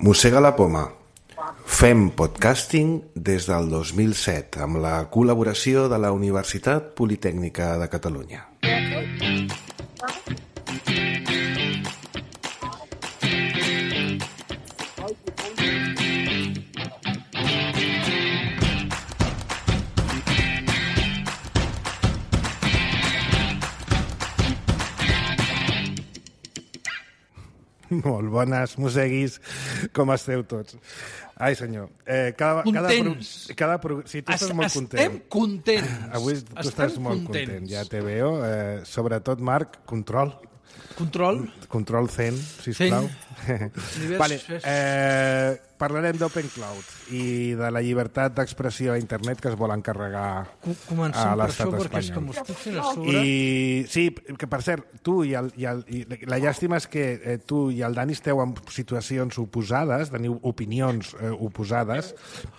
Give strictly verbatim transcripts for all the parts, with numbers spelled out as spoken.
Mossega la poma. Fem podcasting des del dos mil set amb la col·laboració de la Universitat Politècnica de Catalunya. Molt bones, mosseguis, com esteu tots? Ai, senyor. Eh, cada, contents. Cada, cada, sí, tu estàs es, molt content. Estem contents. Avui tu estem estàs molt contents. content, ja te veo. Eh, sobretot, Marc, control. Control. Control Zen, sisplau. Vale, eh, parlarem d'Open Cloud i de la llibertat d'expressió a internet que es vol encarregar Comencem a per l'estat això, perquè és espanyol. que m'ho estic fent a sobre. I sí, que per cert, tu i, el, i, el, i la llàstima és que eh, tu i el Dani esteu en situacions oposades, teniu opinions eh, oposades,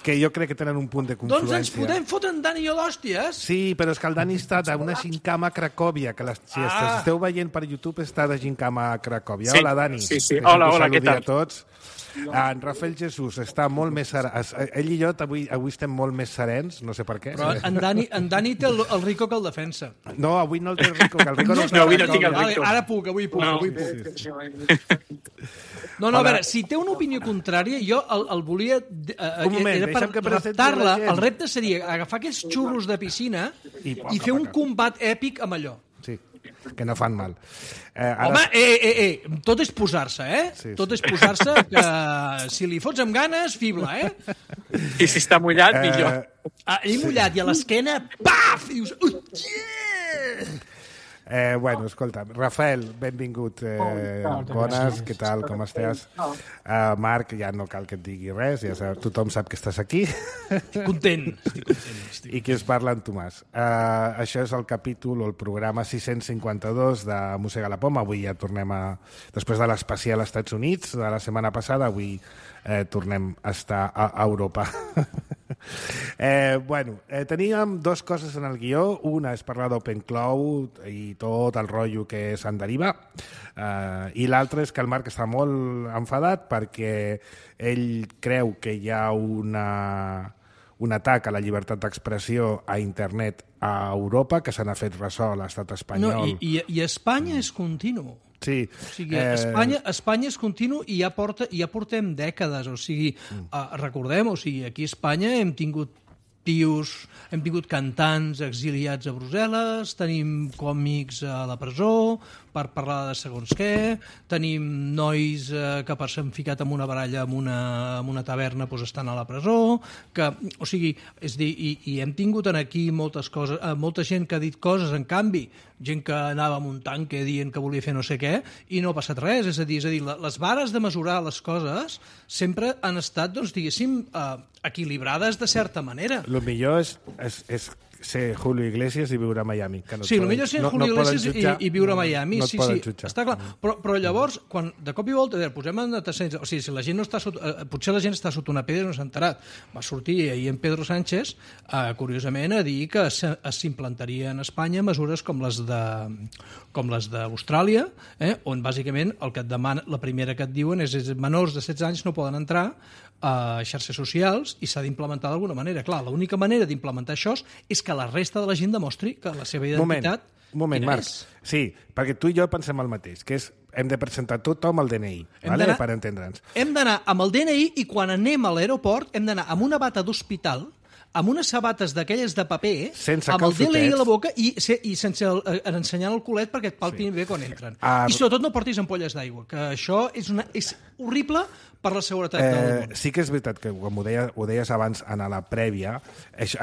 que jo crec que tenen un punt de confluència. Doncs ens podem fotre en Dani i jo d'hòsties? Sí, però és que el Dani està d'una gincama a Cracòvia, que les, si ah. esteu veient per YouTube està de gincama a Cracòvia. Sí, hola, Dani. Sí, sí. Hola, hola, què tal? A tots. En Rafael Jesús està molt més serè. Ell i jo avui, avui estem molt més serens, no sé per què. Però en Dani, en Dani té el, el Rico que el defensa. No, avui no el té el Rico, que el Rico no, no, no avui no tinc el Rico. Ara puc, avui puc, no. avui puc. Sí, sí. No, no, a veure, si té una opinió contrària, jo el, el volia... Eh, un moment, era per reptar-la. El repte seria agafar aquests xurros de piscina i, i fer un combat èpic amb allò. Sí, que no fan mal. Eh, ara... Home, eh, eh, eh, tot és posar-se, eh? Sí, sí. Tot és posar-se, que si li fots amb ganes, fibla, eh? I si està mullat, eh... millor. Ah, ell sí. Mullat, i a l'esquena, paf! I dius, yeah! Eh, bueno, escolta, Rafael, benvingut. Eh, bones, què tal, com estàs? Uh, Marc, ja no cal que et digui res, ja sap, tothom sap que estàs aquí. Estic content, estic content. Estic. I qui es parla en Tomàs. Uh, això és el capítol o el programa sis-cents cinquanta-dos de Mossega la poma. Avui ja tornem a... Després de l'especial als Estats Units de la setmana passada, avui eh, tornem a estar a, a Europa. eh, bueno, eh, teníem dues coses en el guió. Una és parlar d'Open Cloud i tot el rotllo que se'n deriva, uh, i l'altre és que el Marc està molt enfadat perquè ell creu que hi ha una, un atac a la llibertat d'expressió a internet a Europa, que se n'ha fet ressò a l'estat espanyol. No, i, i, i Espanya és continu. Sí. O sigui, eh... Espanya, Espanya és continu i ja, porta, ja portem dècades. O sigui, mm. uh, recordem, o sigui, aquí a Espanya hem tingut tios, hem tingut cantants exiliats a Brussel·les, tenim còmics a la presó per parlar de segons què, tenim nois eh, que per s'han ficat en una baralla en una, en una taverna doncs estan a la presó, que, o sigui, és dir, i, i hem tingut aquí moltes coses, eh, molta gent que ha dit coses, en canvi, gent que anava amb un tanque dient que volia fer no sé què, i no ha passat res, és a dir, és a dir les vares de mesurar les coses sempre han estat, doncs, diguéssim, eh, equilibrades de certa manera. Lo millor és, és, és ser Julio Iglesias i viure a Miami. Que no sí, el millor és ser no, Julio no Iglesias jutjar, i, i viure a Miami. No, no sí, sí, jutjar. Està clar. Però, però llavors, quan de cop i volta posem en antecedents, o sigui, si la gent no està sota, eh, potser la gent està sota una pedra i no s'ha enterat. Va sortir ahir en Pedro Sánchez, eh, curiosament, a dir que s'implantaria en Espanya mesures com les de com les d'Austràlia, eh, on bàsicament el que et demana, la primera que et diuen és que menors de setze anys no poden entrar a xarxes socials i s'ha d'implementar d'alguna manera. Clar, l'única manera d'implementar això és que la resta de la gent demostri que la seva identitat... Un moment, Marc. És? Sí, perquè tu i jo pensem el mateix, que és hem de presentar tothom el D N I, vale? Per entendre'ns. Hem d'anar amb el D N I i quan anem a l'aeroport hem d'anar amb una bata d'hospital, amb unes sabates d'aquelles de paper, sense amb el D N I a la boca i, i sense el, ensenyant el culet perquè et palpin sí. bé quan entren. Uh, I sobretot no portis ampolles d'aigua, que això és, una, és horrible per la seguretat eh, del món. Sí que és veritat que, com ho, deia, ho deies abans en la prèvia,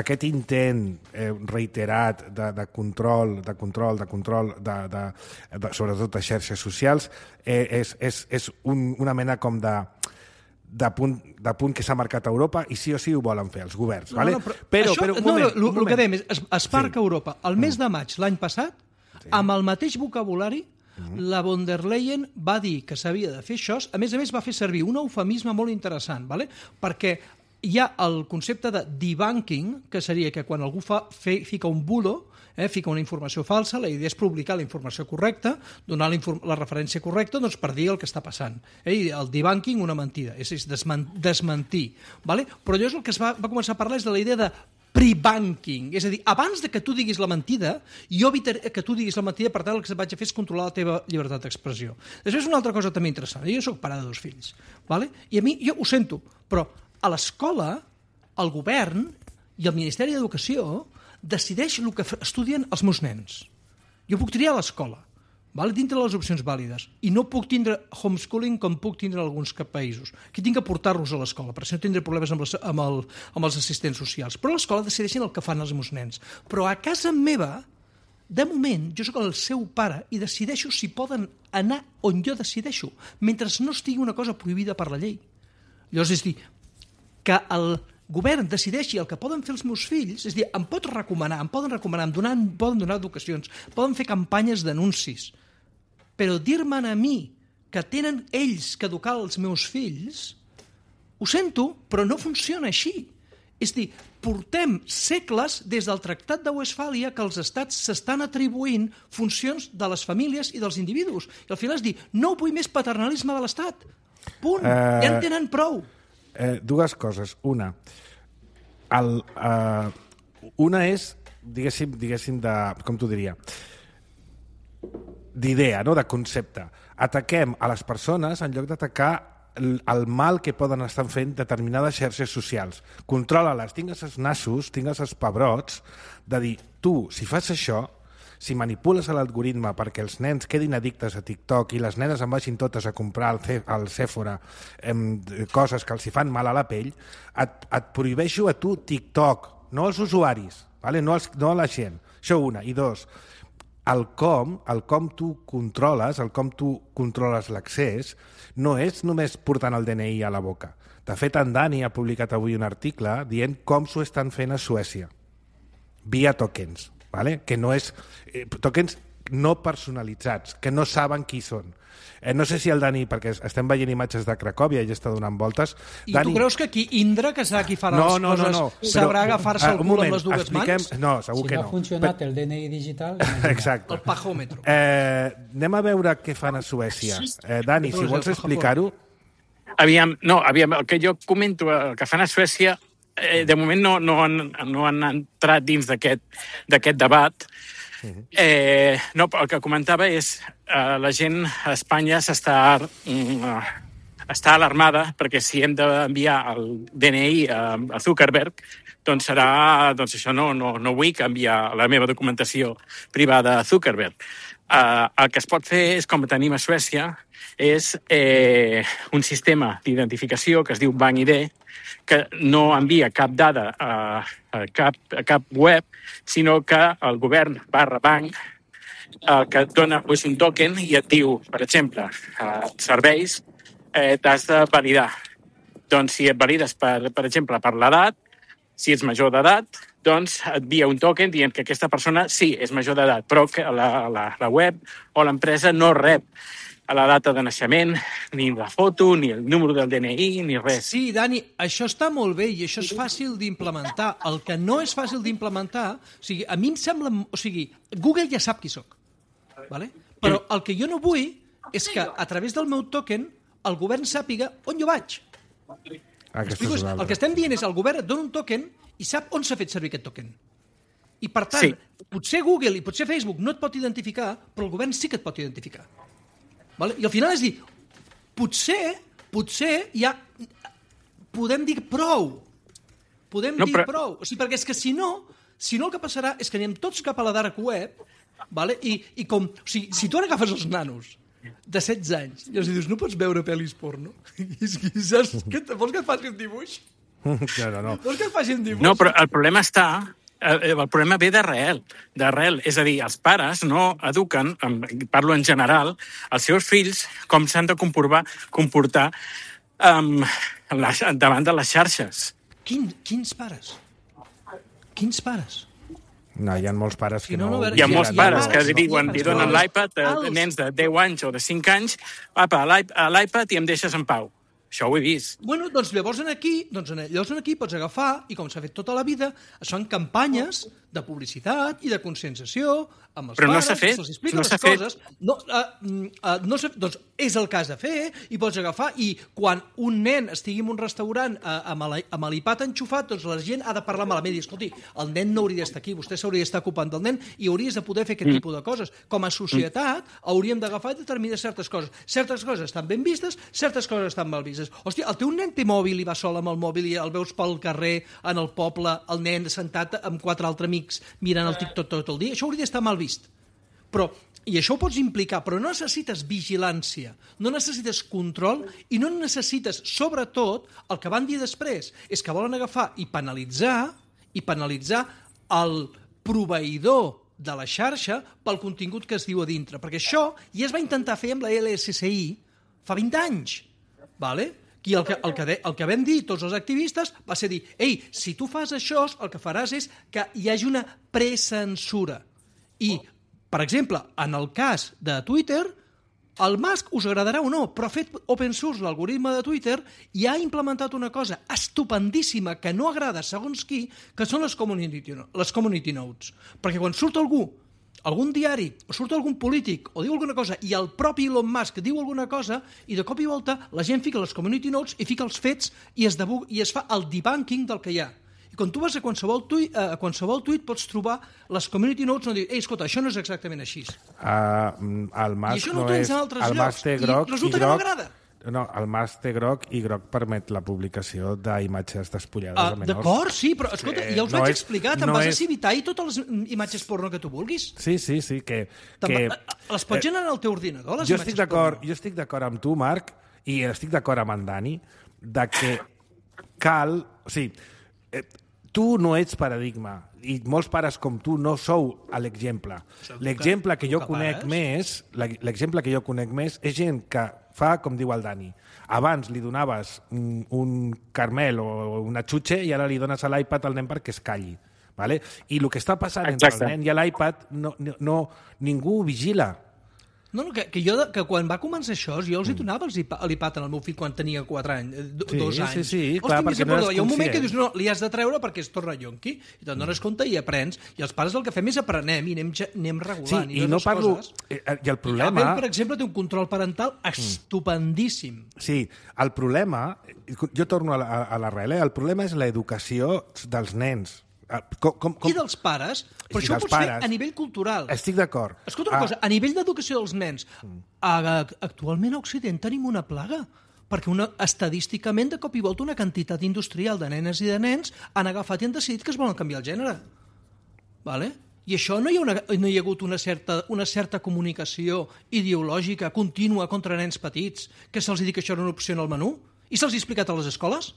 aquest intent eh, reiterat de, de control, de control, de control, de, de, de, sobretot de xarxes socials, eh, és, és, és un, una mena com de... De punt, de punt que s'ha marcat a Europa i sí o sí ho volen fer els governs. No, vale? no, però, però, això, però, un no, moment, no, un moment. El que dèiem és, es, es parca sí. Europa. El mes de maig l'any passat, sí. amb el mateix vocabulari, mm. la von der Leyen va dir que s'havia de fer això. A més a més va fer servir un eufemisme molt interessant, vale? Perquè hi ha el concepte de debunking, que seria que quan algú fa, fe, fica un bulo, eh, fica una informació falsa, la idea és publicar la informació correcta, donar la, la referència correcta doncs, per dir el que està passant. Eh? El debunking, una mentida, és, és desman, desmentir. Vale? Però allò és el que es va, va començar a parlar és de la idea de pre-banking, és a dir, abans de que tu diguis la mentida, jo evitaré que tu diguis la mentida, per tant el que vaig a fer és controlar la teva llibertat d'expressió. Després una altra cosa també interessant, jo soc pare de dos fills, vale? I a mi, jo ho sento, però a l'escola, el govern i el Ministeri d'Educació decideix el que estudien els meus nens. Jo puc triar a l'escola, vale? Dintre de les opcions vàlides, i no puc tindre homeschooling com puc tindre en alguns països. Aquí tinc que portar-los a l'escola, perquè si no tindré problemes amb, les, amb, el, amb els assistents socials. Però a l'escola decideixen el que fan els meus nens. Però a casa meva, de moment, jo sóc el seu pare i decideixo si poden anar on jo decideixo, mentre no estigui una cosa prohibida per la llei. Llavors, és dir, que el govern decideixi el que poden fer els meus fills, és dir, em pot recomanar, em poden recomanar, em, donar, em poden donar educacions, poden fer campanyes d'anuncis, però dir-me'n a mi que tenen ells que educar els meus fills, ho sento, però no funciona així. És dir, portem segles des del Tractat de Westfàlia que els estats s'estan atribuint funcions de les famílies i dels individus. I al final és dir, no vull més paternalisme de l'estat. Punt. Uh... Ja en tenen prou. Eh, dues coses. Una, el, eh, una és, diguéssim, diguéssim de, com t'ho diria, d'idea, no? De concepte. Ataquem a les persones en lloc d'atacar el, el mal que poden estar fent determinades xarxes socials. Controla-les, tingues els nassos, tingues els pebrots, de dir, tu, si fas això, si manipules l'algoritme perquè els nens quedin addictes a TikTok i les nenes en vagin totes a comprar al, al Sephora eh, coses que els hi fan mal a la pell, et, et prohibeixo a tu TikTok, no als usuaris, vale? no, als, no a la gent. Això una. I dos, el com, el com tu controles, el com tu controles l'accés, no és només portant el D N I a la boca. De fet, en Dani ha publicat avui un article dient com s'ho estan fent a Suècia, via tokens. Vale? Que no és eh, tokens no personalitzats, que no saben qui són. Eh, no sé si el Dani, perquè estem veient imatges de Cracòvia i està donant voltes... I Dani... tu creus que aquí Indra, que serà qui farà no, les no, coses, no, no. sabrà Però, agafar-se el cul moment, amb les dues expliquem... mans? No, segur si que no. Si no ha funcionat Però... el D N I digital... Exacte. El pajòmetre. Eh, anem a veure què fan a Suècia. Eh, Dani, si vols explicar-ho... Aviam, no, aviam, el que jo comento, el que fan a Suècia, eh, de moment no, no, han, no han entrat dins d'aquest debat. Eh, no, el que comentava és eh, la gent a Espanya s'està mm, està alarmada perquè si hem d'enviar el D N I a, a Zuckerberg, doncs serà, doncs això no, no, no vull canviar la meva documentació privada a Zuckerberg. Eh, el que es pot fer és, com tenim a Suècia, és eh, un sistema d'identificació que es diu Bank I D, que no envia cap dada a, a, cap, a cap web, sinó que el govern barra banc eh, que et dona pues, un token i et diu, per exemple, eh, serveis, eh, t'has de validar. Doncs si et valides, per, per exemple, per l'edat, si ets major d'edat, doncs et envia un token dient que aquesta persona sí, és major d'edat, però que la, la, la web o l'empresa no rep a la data de naixement, ni la foto, ni el número del D N I, ni res. Sí, Dani, això està molt bé i això és fàcil d'implementar. El que no és fàcil d'implementar, o sigui, a mi em sembla... O sigui, Google ja sap qui sóc, ¿vale? Però el que jo no vull és que a través del meu token el govern sàpiga on jo vaig. Explico, el que estem dient és el govern et dona un token i sap on s'ha fet servir aquest token. I per tant, sí. Potser Google i potser Facebook no et pot identificar, però el govern sí que et pot identificar. Vale? I al final és dir, potser, potser ja podem dir prou. Podem no, dir però... prou. O sigui, perquè és que si no, si no el que passarà és que anem tots cap a la dark web, vale? I, i com, o sigui, si tu ara agafes els nanos de setze anys i els dius, no pots veure pel·lis porno? I saps, que, vols que et faci un dibuix? No, no, no. Vols que et faci un dibuix? No, però el problema està... El problema ve d'arrel, d'arrel. És a dir, els pares no eduquen, parlo en general, els seus fills com s'han de comportar, comportar um, davant de les xarxes. Quin, quins pares? Quins pares? No, hi ha molts pares que no... no, no hi ha molts pares que li diuen, li donen l'iPad a nens de deu anys o de cinc anys, apa, a l'iPad i em deixes en pau. Això ho he vist. Bueno, doncs llavors en aquí, doncs en, llavors en aquí pots agafar, i com s'ha fet tota la vida, es fan campanyes de publicitat i de conscienciació amb els Però no pares, s'ha fet, se'ls explica no les s'ha fet. coses. No, uh, uh, no s'ha, doncs és el cas de fer, i pots agafar, i quan un nen estigui en un restaurant uh, amb el- amb l'iPad enxufat, doncs la gent ha de parlar malament i dir, escolti, el nen no hauria d'estar aquí, vostè s'hauria d'estar ocupant del nen i hauries de poder fer aquest tipus de coses. Com a societat hauríem d'agafar i determinar certes coses. Certes coses estan ben vistes, certes coses estan mal vistes. Hòstia, el teu nen té mòbil i va sol amb el mòbil i el veus pel carrer, en el poble, el nen sentat amb quatre altres amics mirant el TikTok tot el dia. Això hauria d'estar mal vist. Però, i això ho pots implicar, però no necessites vigilància, no necessites control i no necessites, sobretot, el que van dir després, és que volen agafar i penalitzar i penalitzar el proveïdor de la xarxa pel contingut que es diu a dintre. Perquè això ja es va intentar fer amb la L S S I fa vint anys. Vale? I el que, el, que de, el que vam dir tots els activistes va ser dir, ei, si tu fas això, el que faràs és que hi hagi una precensura. I, per exemple, en el cas de Twitter, el Musk us agradarà o no, però ha fet open source l'algoritme de Twitter i ha implementat una cosa estupendíssima que no agrada segons qui, que són les community, les community notes. Perquè quan surt algú, algun diari, o surt algun polític, o diu alguna cosa, i el propi Elon Musk diu alguna cosa, i de cop i volta la gent fica les community notes i fica els fets i es, debu i es fa el debunking del que hi ha. I quan tu vas a qualsevol tuit, a qualsevol tuit pots trobar les community notes on diu, ei, escolta, això no és exactament així. Uh, el I Musk això no ho no tens és... en altres el llocs. Musk té I groc i resulta que no groc... m'agrada. No, el Musk té groc i groc permet la publicació d'imatges despullades Uh, a menors. D'acord, sí, però escolta, Sí, ja us no vaig és- explicar, te'n no vas és- a civitar i totes les imatges porno que tu vulguis. Sí, sí, sí, que... Te'n que va- Les pots generar al teu ordinador, les jo imatges estic d'acord, porno. jo estic d'acord amb tu, Marc, i estic d'acord amb en Dani, de que cal... O sigui, eh, tu no ets paradigma, i molts pares com tu no sou l'exemple. L'exemple que jo que conec pares? més, l'exemple que jo conec més és gent que fa, com diu el Dani, abans li donaves un, un carmel o una xutxe i ara li dones a l'iPad al nen perquè es calli. Vale? I el que està passant Exacte. entre el nen i l'iPad no, no, no, ningú ho vigila. No, no, que, que jo, que quan va començar això, jo els hi donava els iPad, l'iPad al meu fill quan tenia quatre anys, eh, do, Sí, dos sí, anys. sí, Hòstia, clar, mi perquè se no perdó. eres Hi ha un moment que conscient. dius, no, li has de treure perquè es torna yonqui, i te'n dones compte i aprens, i els pares el que fem és aprenem i anem, ge- anem Sí, regulant. i no les parlo... Coses. eh, I el I problema... Apple, per exemple, té un control parental estupendíssim. Sí, el problema... Jo torno a la- a l'arrel, eh? El problema és l'educació dels nens. Ah, Com, com, com... I dels pares, però I això ho dels pots fer pares. a nivell cultural. Estic d'acord. Escolta una Ah, cosa, a nivell d'educació dels nens, a- actualment a Occident tenim una plaga, perquè una, estadísticament, de cop i volta, una quantitat industrial de nenes i de nens han agafat i han decidit que es volen canviar el gènere. Vale? I això no hi ha, una, no hi ha hagut una certa, una certa comunicació ideològica contínua contra nens petits, que se'ls digui que això era una opció en el menú, i se'ls ha explicat a les escoles?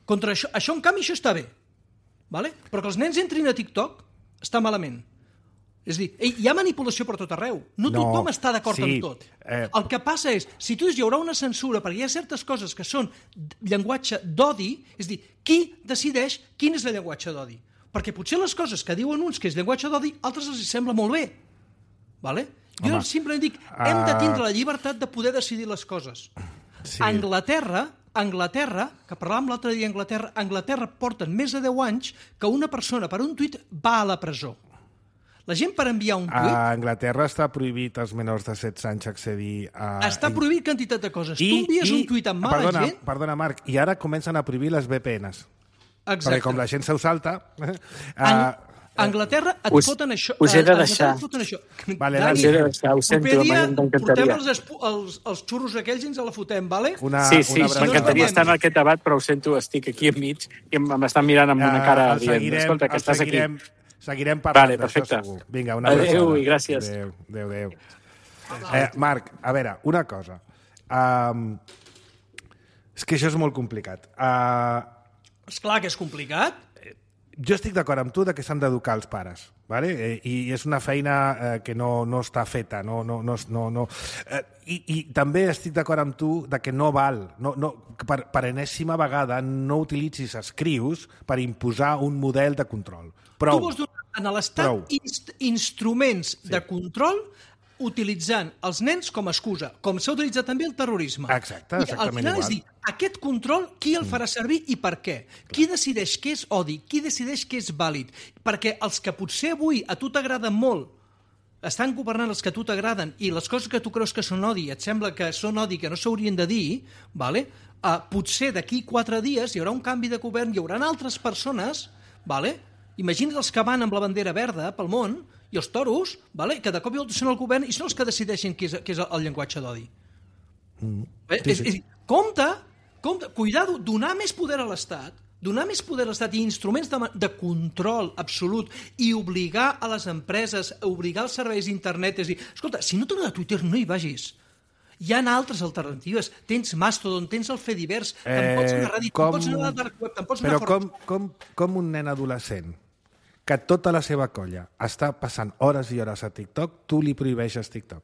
Contra això, això, en canvi, això està bé. Vale? Però que els nens entrin a TikTok està malament. És a dir, ei, hi ha manipulació per tot arreu. No, No, tothom està d'acord sí, amb tot. eh. El que passa és, si tu dius hi haurà una censura perquè hi ha certes coses que són llenguatge d'odi, és a dir, qui decideix quin és el llenguatge d'odi? Perquè potser les coses que diuen uns que és llenguatge d'odi, altres els sembla molt bé. Vale? Jo Home, simplement dic, hem de ah. tindre la llibertat de poder decidir les coses. Sí. A Anglaterra, Anglaterra, que parlàvem l'altre dia d'Anglaterra, Anglaterra porten més de deu anys que una persona per un tuit va a la presó. La gent per enviar un tuit A Anglaterra està prohibit als menors de setze anys accedir a... està prohibit quantitat de coses. Tu envies un tuit amb mala perdona, gent... Perdona, Marc, i ara comencen a prohibir les V P Ns. Exacte. Perquè com la gent se'l salta... Ang Uh, a Anglaterra et Us- foten això. us he de a Anglaterra deixar. et foten això. Vale, Dani, Us he de deixar, ho sento, proper dia m'encantaria. portem els, espu- els, els xurros aquells i ens la fotem, vale? una, Sí, sí, una abraçada. m'encantaria abraçada. estar en aquest debat, però ho sento, estic aquí enmig i em- m'estan mirant amb una cara Eh, el dient, seguirem, escolta, que el estàs aquí. seguirem, Seguirem parlant Vale, d'això, perfecte. segur. Vinga, una Adéu abraçada. i gràcies. Adéu, adéu, adéu. Eh, Marc, a veure, una cosa. Um, és que això és molt complicat. Uh, Esclar que és complicat. jo estic d'acord amb tu de que s'han d'educar els pares, vale? eh, i és una feina eh, que no, no està feta. No, no, no, no, no. Eh, i, I també estic d'acord amb tu de que no val, no, no, que per, per enèsima vegada no utilitzis escrius per imposar un model de control. Prou. Tu vols donar a Prou. l'Estat inst instruments sí. de control utilitzant els nens com a excusa, com s'ha utilitzat també el terrorisme. Exacte, exactament I al final igual. és dir, aquest control, qui el farà servir i per què? Qui decideix què és odi? Qui decideix què és vàlid? Perquè els que potser avui a tu t'agraden molt, estan governant els que a tu t'agraden i les coses que tu creus que són odi, et sembla que són odi que no s'haurien de dir, vale? uh, potser d'aquí quatre dies hi haurà un canvi de govern, hi haurà altres persones, vale? Imagina't els que van amb la bandera verda pel món i els toros, vale? Que de cop i volta són el govern i són els que decideixen què és, què és el llenguatge d'odi. Mm. Eh? Sí, sí. És, és, compte, compte, cuidado, donar més poder a l'Estat, donar més poder a l'Estat i instruments de, de control absolut i obligar a les empreses, obligar els serveis d'internet, és dir, escolta, si no t'agrada Twitter, no hi vagis. Hi ha altres alternatives. Tens Mastodon, tens el Fediverse, eh, te'n pots anar a Reddit, com... te'n pots anar a la dark web, te'n pots anar Però a... com, com, com un nen adolescent que tota la seva colla està passant hores i hores a TikTok, tu li prohibeixes TikTok?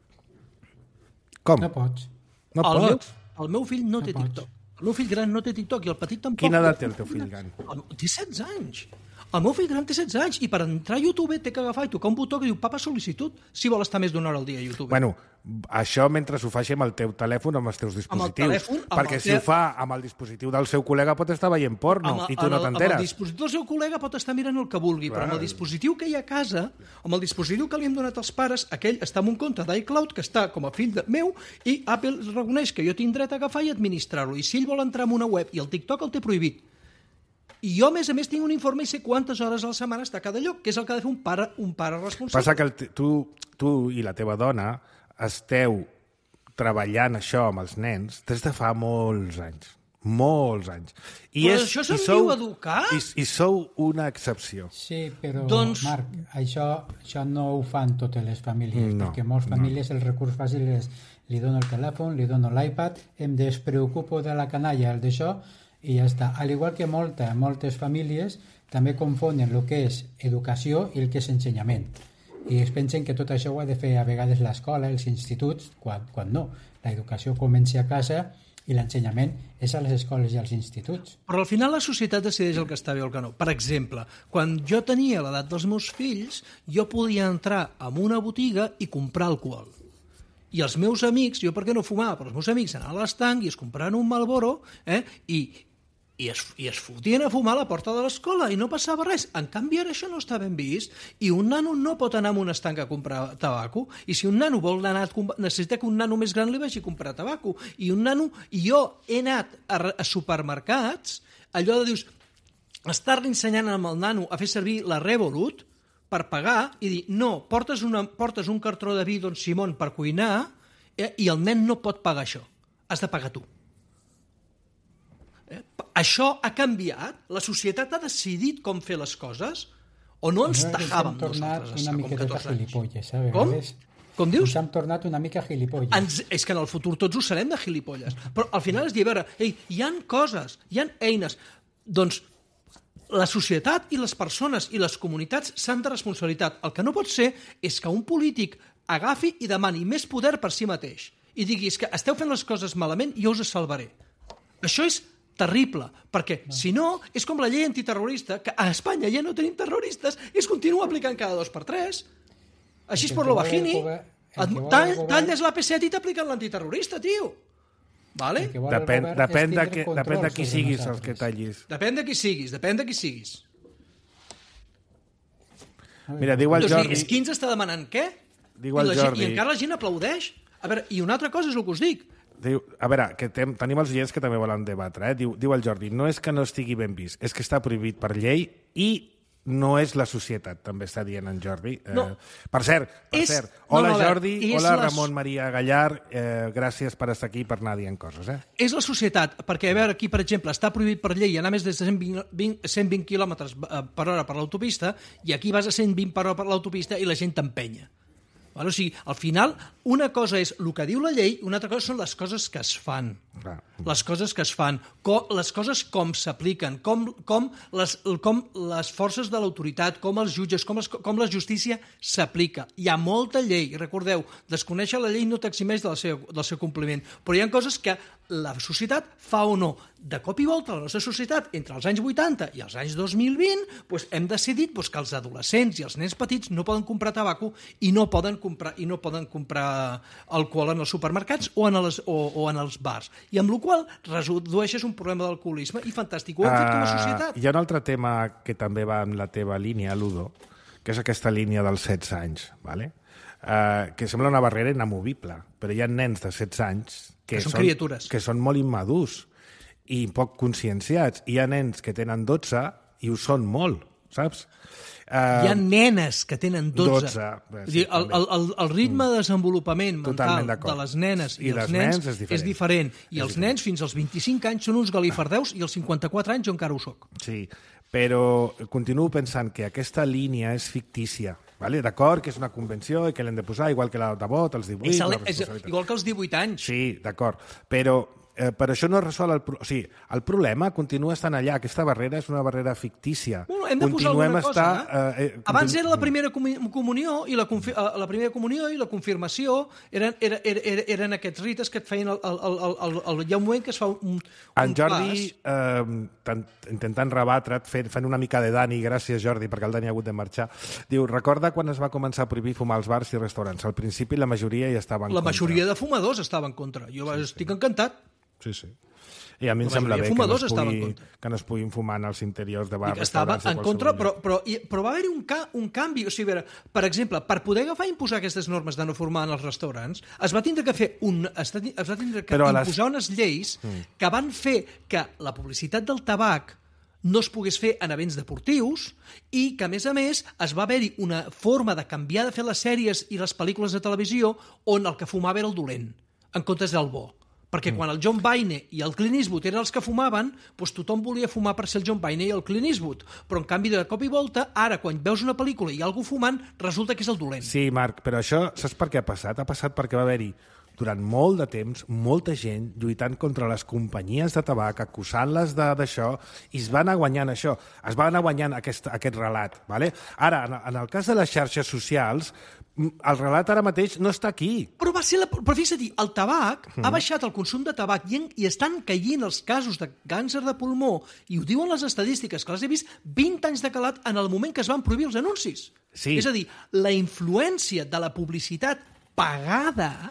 Com? No pots. No el, pots? meu, el meu fill no, No té pots. TikTok. El meu fill gran no té TikTok i el petit tampoc. Quina edat té el teu fill gran? El- Té setze anys. El meu fill gran té setze anys i per entrar a YouTube té que agafar i tocar un botó que diu papa sol·licitud si vol estar més d'una hora al dia a YouTube. Bueno, això mentre ho faci amb el teu telèfon o amb els teus dispositius. telèfon, amb perquè el si te- ho fa amb el dispositiu del seu col·lega pot estar veient porno Amb el- i tu no amb el- Amb t'enteres. el dispositiu del seu col·lega pot estar mirant el que vulgui, Clar. però amb el dispositiu que hi ha a casa, amb el dispositiu que li hem donat als pares, aquell està en un compte d'iCloud que està com a fill de meu i Apple reconeix que jo tinc dret a agafar i administrar-lo. I si ell vol entrar en una web i el TikTok el té prohibit, i jo, a més a més, tinc un informe i sé quantes hores a la setmana està a cada lloc, que és el que ha de fer un pare, un pare responsable. Passa que el, t- tu, tu i la teva dona esteu treballant això amb els nens des de fa molts anys. Molts anys. I Però és, això i se'n sou- diu educar? I, I sou una excepció. Sí, però, Doncs- Marc, això, això no ho fan totes les famílies, No, perquè moltes no. famílies el recurs fàcil és li dono el telèfon, li dono l'iPad, em despreocupo de la canalla, el d'això, i ja està. Al igual que molta, moltes famílies també confonen el que és educació i el que és ensenyament. I es pensen que tot això ho ha de fer a vegades l'escola, els instituts, quan, quan no. L'educació comença a casa i l'ensenyament és a les escoles i als instituts. Però al final la societat decideix el que està bé o el que no. Per exemple, quan jo tenia l'edat dels meus fills, jo podia entrar en una botiga i comprar alcohol. I els meus amics, jo per què no fumava, però els meus amics anaven a l'estanc i es compraven un Marlboro eh, i, i, es, i es fotien a fumar a la porta de l'escola i no passava res. En canvi, ara això no està ben vist i un nano no pot anar a un estanc a comprar tabaco i si un nano vol anar a, necessita que un nano més gran li vagi a comprar tabaco i un nano, i jo he anat a, a supermercats, allò de dius, estar-li ensenyant amb el nano a fer servir la Revolut per pagar i dir, no, portes, una, portes un cartró de vi Don Simón per cuinar eh, i el nen no pot pagar això. Has de pagar tu. Eh? Això ha canviat? La societat ha decidit com fer les coses? O no ens tajàvem nosaltres una miqueta gilipolles, eh? Com? Com dius? Ens hem tornat una mica gilipolles. Ens, és que en el futur tots ho serem de gilipolles. Però al final és dir, a veure, ei, hi han coses, hi han eines. Doncs la societat i les persones i les comunitats s'han de responsabilitat. El que no pot ser és que un polític agafi i demani més poder per si mateix i digui, és que esteu fent les coses malament i jo us salvaré. Això és terrible, perquè si no, és com la llei antiterrorista, que a Espanya ja no tenim terroristes i es continua aplicant cada dos per tres. Així és per lo bajini. Talles la P set i t'apliquen l'antiterrorista, tio. Vale? Depèn, depèn, de, que, depèn de qui siguis el que tallis. Depèn de qui siguis, depèn de qui siguis. Mira, diu el Doncs Jordi... és qui ens està demanant què? Diu I, el la gent, Jordi... I encara la gent aplaudeix. A veure, i una altra cosa és el que us dic. Diu, a veure, que tem, tenim els oients que també volen debatre. Eh? Diu, diu el Jordi, no és que no estigui ben vist, és que està prohibit per llei i no és la societat, també està dient en Jordi. No. Eh, per cert, per És- cert. no, Hola no, a veure, Jordi, és hola la- Ramon Maria Gallar, eh, gràcies per estar aquí i per anar dient coses. Eh? És la societat, perquè a veure, aquí, per exemple, està prohibit per llei anar més de cent vint, cent vint quilòmetres per hora per l'autopista i aquí vas a cent vint per hora per l'autopista i la gent t'empenya. Vale? O sigui, al final, una cosa és el que diu la llei, una altra cosa són les coses que es fan. Clar. Les coses que es fan, com, les coses com s'apliquen, com, com, les, com les forces de l'autoritat, com els jutges, com, les, com la justícia s'aplica. Hi ha molta llei, recordeu, desconèixer la llei no t'eximeix del seu, del seu compliment, però hi ha coses que la societat fa o no. De cop i volta, la nostra societat, entre els anys vuitanta i els anys dos mil vint, doncs hem decidit doncs, que els adolescents i els nens petits no poden comprar tabaco i no poden comprar, i no poden comprar alcohol en els supermercats o en els, o, o en els bars. I amb la qual cosa redueixes un problema d'alcoholisme i fantàstic. Ho hem fet com a societat. Uh, hi ha un altre tema que també va en la teva línia, Ludo, que és aquesta línia dels setze anys, ¿vale? Uh, que sembla una barrera inamovible, però hi ha nens de setze anys que, que són són criatures, que són molt immadurs i poc conscienciats. Hi ha nens que tenen dotze i ho són molt, saps? Uh, Hi ha nenes que tenen dotze. dotze Vull dir, el, el, el ritme de desenvolupament mental de les nenes i, I els nens, nens és diferent. És diferent. I és els diferent. Nens fins als vint-i-cinc anys són uns galifardeus i als cinquanta-quatre anys jo encara ho soc. Sí, però continuo pensant que aquesta línia és fictícia. Vale? D'acord, que és una convenció i que l'hem de posar, igual que la de vot, els divuit... És, és, igual que els divuit anys. Sí, d'acord, però eh, per això no resol el... Pro... O sigui, el problema continua estant allà. Aquesta barrera és una barrera fictícia. Bueno, hem de posar Continuem alguna estar, cosa. Eh? Eh, Abans continu... era la primera comunió i la, confi... la primera comunió i la confirmació eren, eren, eren, eren aquests rites que et feien... El, el, el, el, el, hi ha un moment que es fa un, un en Jordi, eh, tant, intentant rebatre't, fent, fent una mica de Dani, gràcies Jordi, perquè el Dani ha hagut de marxar, diu, recorda quan es va començar a prohibir fumar als bars i restaurants? Al principi la majoria hi estava en la contra. La majoria de fumadors estava en contra. Jo sí, estic sí. encantat. Sí, sí. I a mi em sembla bé que no, es pugui, que no es puguin fumar als interiors de bars, estava en contra, però, però, però va haver-hi un, ca, un canvi. O sigui, veure, per exemple, per poder agafar i imposar aquestes normes de no fumar en els restaurants, es va tindre que fer un, es va tindre que imposar les... unes lleis mm. que van fer que la publicitat del tabac no es pogués fer en events deportius i que, a més a més, es va haver-hi una forma de canviar de fer les sèries i les pel·lícules de televisió on el que fumava era el dolent, en comptes del bo. Perquè quan el John Wayne i el Clint Eastwood eren els que fumaven, doncs tothom volia fumar per ser el John Wayne i el Clint Eastwood. Però, en canvi, de cop i volta, ara, quan veus una pel·lícula i hi ha algú fumant, resulta que és el dolent. Sí, Marc, però això, saps per què ha passat? Ha passat perquè va haver-hi, durant molt de temps, molta gent lluitant contra les companyies de tabac, acusant-les d'això, i es va anar guanyant això, es va anar guanyant aquest, aquest relat. Vale? Ara, en, en el cas de les xarxes socials, el relat ara mateix no està aquí. Però va ser la... Però fixa't, el tabac mm. ha baixat el consum de tabac i, en... i estan caient els casos de càncer de pulmó, i ho diuen les estadístiques, que les he vist vint anys de calat en el moment que es van prohibir els anuncis. Sí. És a dir, la influència de la publicitat pagada,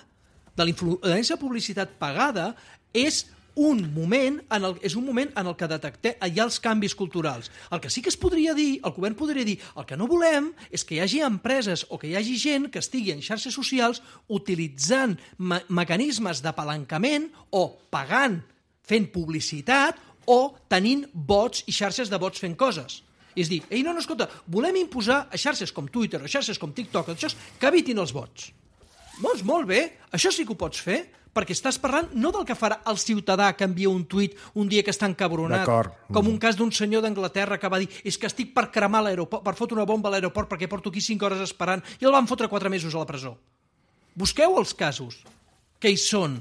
de la influència de publicitat pagada, és un moment en el, és un moment en el que detectem hi ha els canvis culturals. El que sí que es podria dir, el govern podria dir, el que no volem és que hi hagi empreses o que hi hagi gent que estigui en xarxes socials utilitzant me mecanismes d'apalancament o pagant, fent publicitat o tenint bots i xarxes de bots fent coses. És dir, ei, no, no, escolta, volem imposar a xarxes com Twitter o xarxes com TikTok això, que evitin els bots. Doncs molt bé, això sí que ho pots fer, perquè estàs parlant no del que farà el ciutadà que envia un tuit un dia que està encabronat, com un cas d'un senyor d'Anglaterra que va dir és que estic per cremar l'aeroport, per fotre una bomba a l'aeroport perquè porto aquí cinc hores esperant i el van fotre quatre mesos a la presó. Busqueu els casos, que hi són.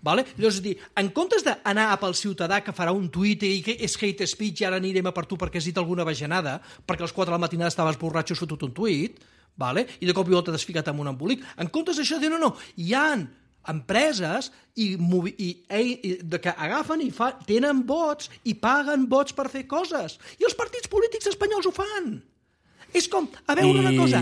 Vale? Llavors, dir, en comptes d'anar a pel ciutadà que farà un tuit i que és hate speech i ara anirem a per tu perquè has dit alguna bajanada, perquè a les quatre de la matinada estaves borratxo i fotut un tuit, vale? I de cop i volta t'has ficat amb un embolic, en comptes d'això, diu, no, no, hi ha empreses i, i, i, que agafen i fa, tenen vots i paguen vots per fer coses. I els partits polítics espanyols ho fan. És com, a veure I... una cosa,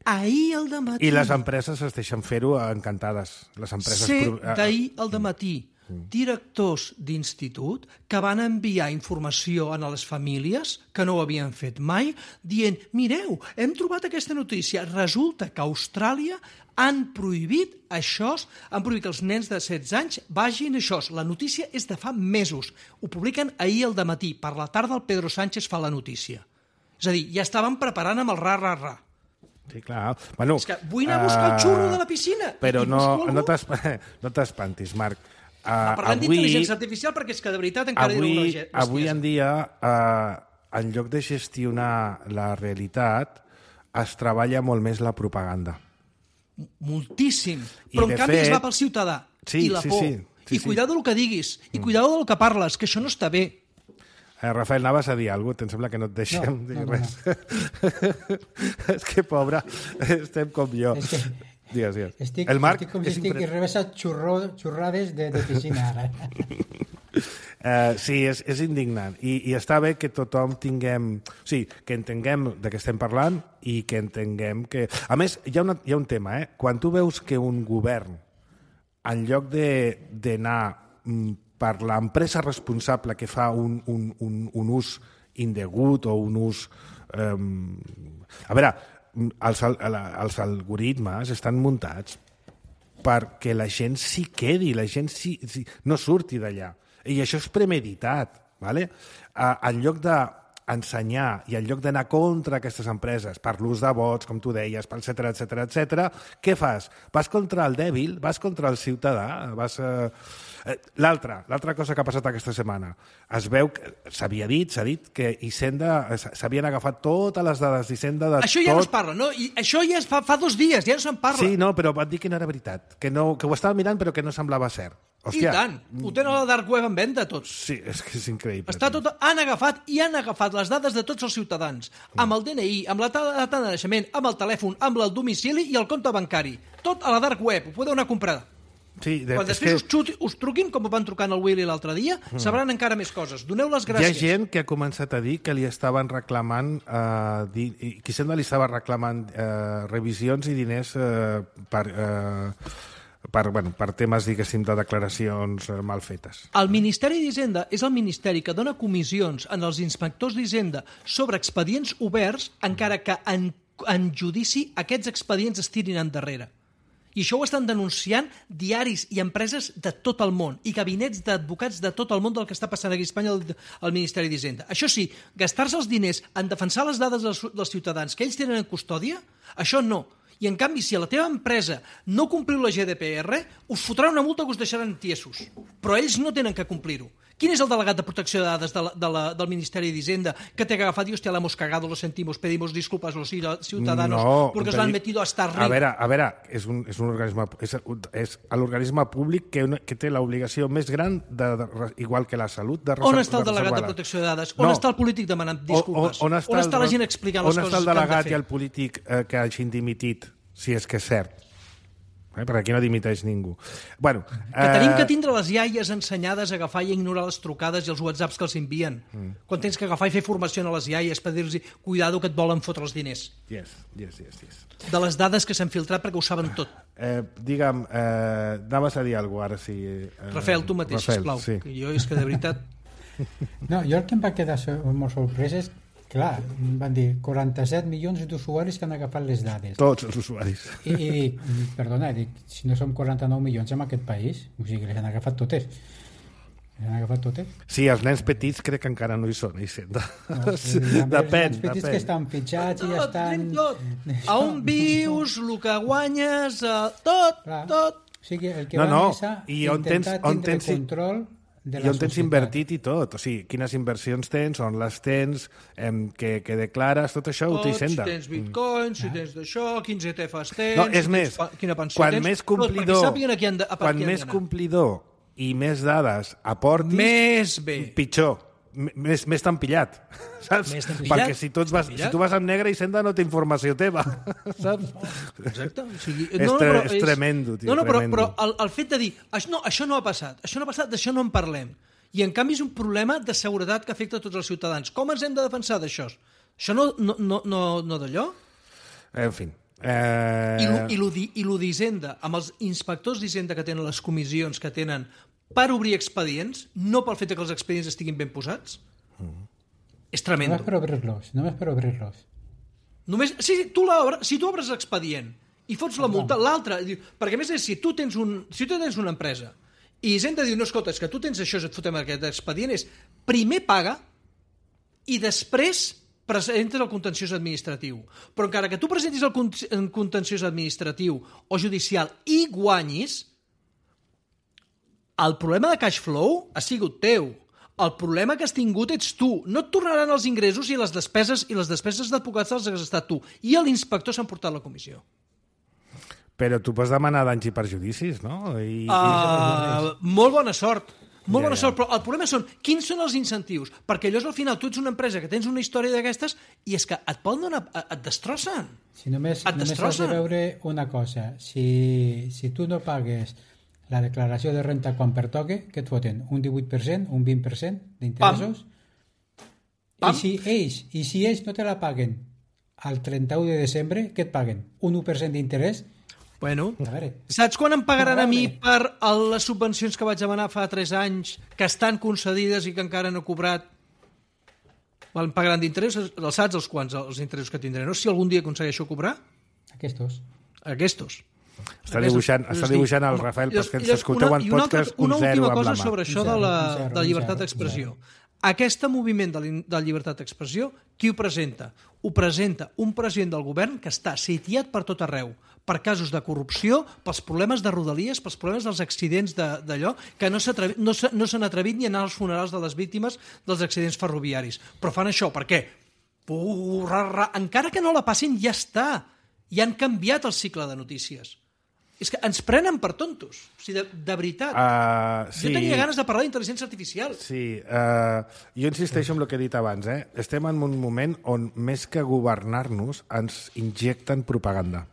ahir al dematí... I les empreses es deixen fer-ho encantades. Les empreses... Sé d'ahir al dematí directors d'institut que van enviar informació a les famílies que no ho havien fet mai, dient, mireu, hem trobat aquesta notícia, resulta que a Austràlia han prohibit això, han prohibit que els nens de setze anys vagin això. La notícia és de fa mesos. Ho publiquen ahir al dematí. Per la tarda el Pedro Sánchez fa la notícia. És a dir, ja estaven preparant amb el ra-ra-ra. Sí, clar. Bueno, és que vull anar a buscar el xurro de la piscina. Però no, no t'espantis, Marc. Uh, Parlem d'intel·ligència artificial perquè és que de veritat encara avui, era una... Avui en dia, uh, en lloc de gestionar la realitat, es treballa molt més la propaganda. Moltíssim. Però en canvi fet... es va pel ciutadà. Sí, I la sí, por. sí, sí, I cuidado del que diguis. I cuidado del que parles, que això no està bé. Eh, Rafael, anaves a dir alguna cosa? Em sembla que no et deixem no, dir no, res. No. És que, pobre, estem com jo. És que Digues, digues. Estic, el Marc estic com si és estic impre... rebessa xurro, xurrades de, de piscina ara. Uh, sí, és, és indignant. I, I està bé que tothom tinguem... O sigui, que entenguem de què estem parlant i que entenguem que... A més, hi ha, una, hi ha un tema, eh? Quan tu veus que un govern, en lloc d'anar per l'empresa responsable que fa un, un, un, un ús indegut o un ús... Um... A veure, els, els algoritmes estan muntats perquè la gent s'hi quedi, la gent s'hi, s'hi, no surti d'allà. I això és premeditat, ¿vale? Uh, en lloc d'ensenyar i en lloc d'anar contra aquestes empreses per l'ús de vots, com tu deies, etcètera, etcètera, etcètera, què fas? Vas contra el dèbil, vas contra el ciutadà, vas... Uh... L'altra, l'altra cosa que ha passat aquesta setmana, es veu que s'havia dit, s'ha dit que Hisenda, s'havien agafat totes les dades d'Hisenda de això ja tot... no es parla, no? I això ja es fa, fa dos dies, ja no se'n parla. Sí, no, però van dir que no era veritat, que, no, que ho estava mirant però que no semblava cert. Hòstia. I tant, ho tenen a la dark web en venda tots. Sí, és que és increïble. Està tot, han agafat i han agafat les dades de tots els ciutadans, amb el D N I, amb la data de naixement, amb el telèfon, amb el domicili i el compte bancari. Tot a la dark web, ho podeu anar a comprar. Sí, de, Quan després que... us, xuti, us truquin, com van trucant el Willy l'altre dia, mm. sabran encara més coses. Doneu les gràcies. Hi ha gent que ha començat a dir que li estaven reclamant, eh, di, que Hisenda li estava reclamant eh, revisions i diners eh, per... Eh, per, bueno, per temes, diguéssim, de declaracions eh, mal fetes. El Ministeri d'Hisenda és el ministeri que dona comissions en els inspectors d'Hisenda sobre expedients oberts, encara que en, en judici aquests expedients es tirin endarrere. I això ho estan denunciant diaris i empreses de tot el món i gabinets d'advocats de tot el món del que està passant aquí a Espanya al, al Ministeri d'Hisenda. Això sí, gastar-se els diners en defensar les dades dels, dels ciutadans que ells tenen en custòdia, això no. I, en canvi, si a la teva empresa no compliu la G D P R, us fotran una multa que us deixaran tiesos. Però ells no tenen que complir-ho. Quin és el delegat de protecció de dades de la, de la, del Ministeri d'Hisenda que té que agafar i, hòstia, l'hemos cagado, lo sentimos, pedimos disculpas a los ciudadanos no, porque os l'han metido hasta arriba? A veure, a veure, és un, és un organisme, és, és l'organisme públic que, que té l'obligació més gran, de, de, igual que la salut, de reservar. On està el delegat de protecció de dades? On no. està el polític demanant disculpes? On, on, està, on està la gent explicant les coses que han de fer? On està el delegat i el polític eh, que hagin dimitit, si és que és cert? Eh? Perquè aquí no dimiteix ningú. Bueno, que eh... tenim que tindre les iaies ensenyades a agafar i ignorar les trucades i els whatsapps que els envien. Mm. Quan tens que agafar i fer formació a les iaies per dir-los cuidado que et volen fotre els diners. Yes, yes, yes, yes. De les dades que s'han filtrat perquè ho saben tot. Eh, digue'm, eh, anaves a dir alguna cosa ara, si... Eh, Rafael, tu mateix, Rafael, sisplau. Sí. Que jo és que de veritat... No, jo el que em va quedar molt sorprès és clar, van dir quaranta-set milions d'usuaris que han agafat les dades. Tots els usuaris. I, i dic, perdona, dic, si no som quaranta-nou milions en aquest país, o sigui, les han agafat totes. Les han agafat totes. Sí, els nens petits crec que encara no hi són, Hisenda. No, depèn, els nens petits depèn. que estan fitxats i ja estan... Tot. A on vius, el que guanyes, tot, clar. tot. O sigui, el que no, van no. és a I on intentar tens, on tindre tens... control de I la on tens societat. invertit i tot, o sigui, quines inversions tens, on les tens, em, que, que declares, tot això ho té Hisenda. Si tens bitcoins, si tens d'això, quins E T Fs tens... No, és si més, tens, quina pensió quan tens, més complidor, tot, a qui han de, a quan qui més han complidor i més dades aportis, més bé. pitjor. M més, més t'han pillat, saps? Més t'han pillat? Perquè si tu, vas, si tu vas amb negre, Hisenda no té informació teva, saps? Exacte. O sigui, és, no, no, tre però és tremendo, tio, no, no, però, tremendo. però el, el fet de dir això no, això no ha passat, això no ha passat, d'això no en parlem. I, en canvi, és un problema de seguretat que afecta a tots els ciutadans. Com ens hem de defensar d'això? Això no, no, no, no, no d'allò? En fi. Eh... I lo d'Hisenda, amb els inspectors d'Hisenda que tenen les comissions que tenen per obrir expedients, no pel fet que els expedients estiguin ben posats, mm. és tremendo. Només per obrir-los, només per obrir-los. Només, sí, tu l'obres, si tu obres l'expedient i fots la multa, l'altre, perquè a més és, si tu tens, un, si tu tens una empresa i Hisenda diu, no, escolta, és que tu tens això, et fotem aquest expedient, és primer paga i després presentes el contenciós administratiu. Però encara que tu presentis el contenciós administratiu o judicial i guanyis, el problema de cash flow ha sigut teu. El problema que has tingut ets tu. No et tornaran els ingressos i les despeses i les despeses d'advocats les has estat tu. I l'inspector s'ha emportat la comissió. Però tu pots demanar danys i perjudicis, no? I, uh, i... Molt bona sort. Molt Ja, bona ja. sort, però el problema són quins són els incentius, perquè allò és al final, tu ets una empresa que tens una història d'aquestes i és que et poden donar, et destrossen. Si només, Et només has de destrossen. veure una cosa. Si, si tu no pagues la declaració de renta quan pertoque, què et foten? Un divuit per cent, un vint per cent d'interessos? Pam. I si ells, i si ells no te la paguen al trenta-u de desembre, què et paguen? Un u per cent d'interès? Bueno, A veure, saps quan em pagaran a mi Probable. per el- les subvencions que vaig demanar fa tres anys, que estan concedides i que encara no he cobrat? Em pagaran d'interessos, els saps els quants, els interessos que tindré, no? Si algun dia aconsegueixo cobrar, aquests. aquestos. Està dibuixant, està dibuixant el Rafael, però que ens escolteu en podcast, un una zero última amb cosa la mà. sobre això Un de zero, la, un zero, de la un llibertat zero, d'expressió. un Aquest moviment de, la- de llibertat d'expressió, qui ho presenta? Ho presenta un president del govern que està sitiat per tot arreu, per casos de corrupció, pels problemes de rodalies, pels problemes dels accidents de- d'allò, que no s'atrevi- no s'ha- no s'han atrevit ni a anar als funerals de les víctimes dels accidents ferroviaris. Però fan això, per què? Purra, encara que no la passin, ja està. Ja han canviat el cicle de notícies. És que ens prenen per tontos. O sigui, de, de veritat. Uh, sí. Jo tenia ganes de parlar d'intel·ligència artificial. Sí, uh, jo insisteixo en el que he dit abans. Eh? Estem en un moment on, més que governar-nos, ens injecten propaganda.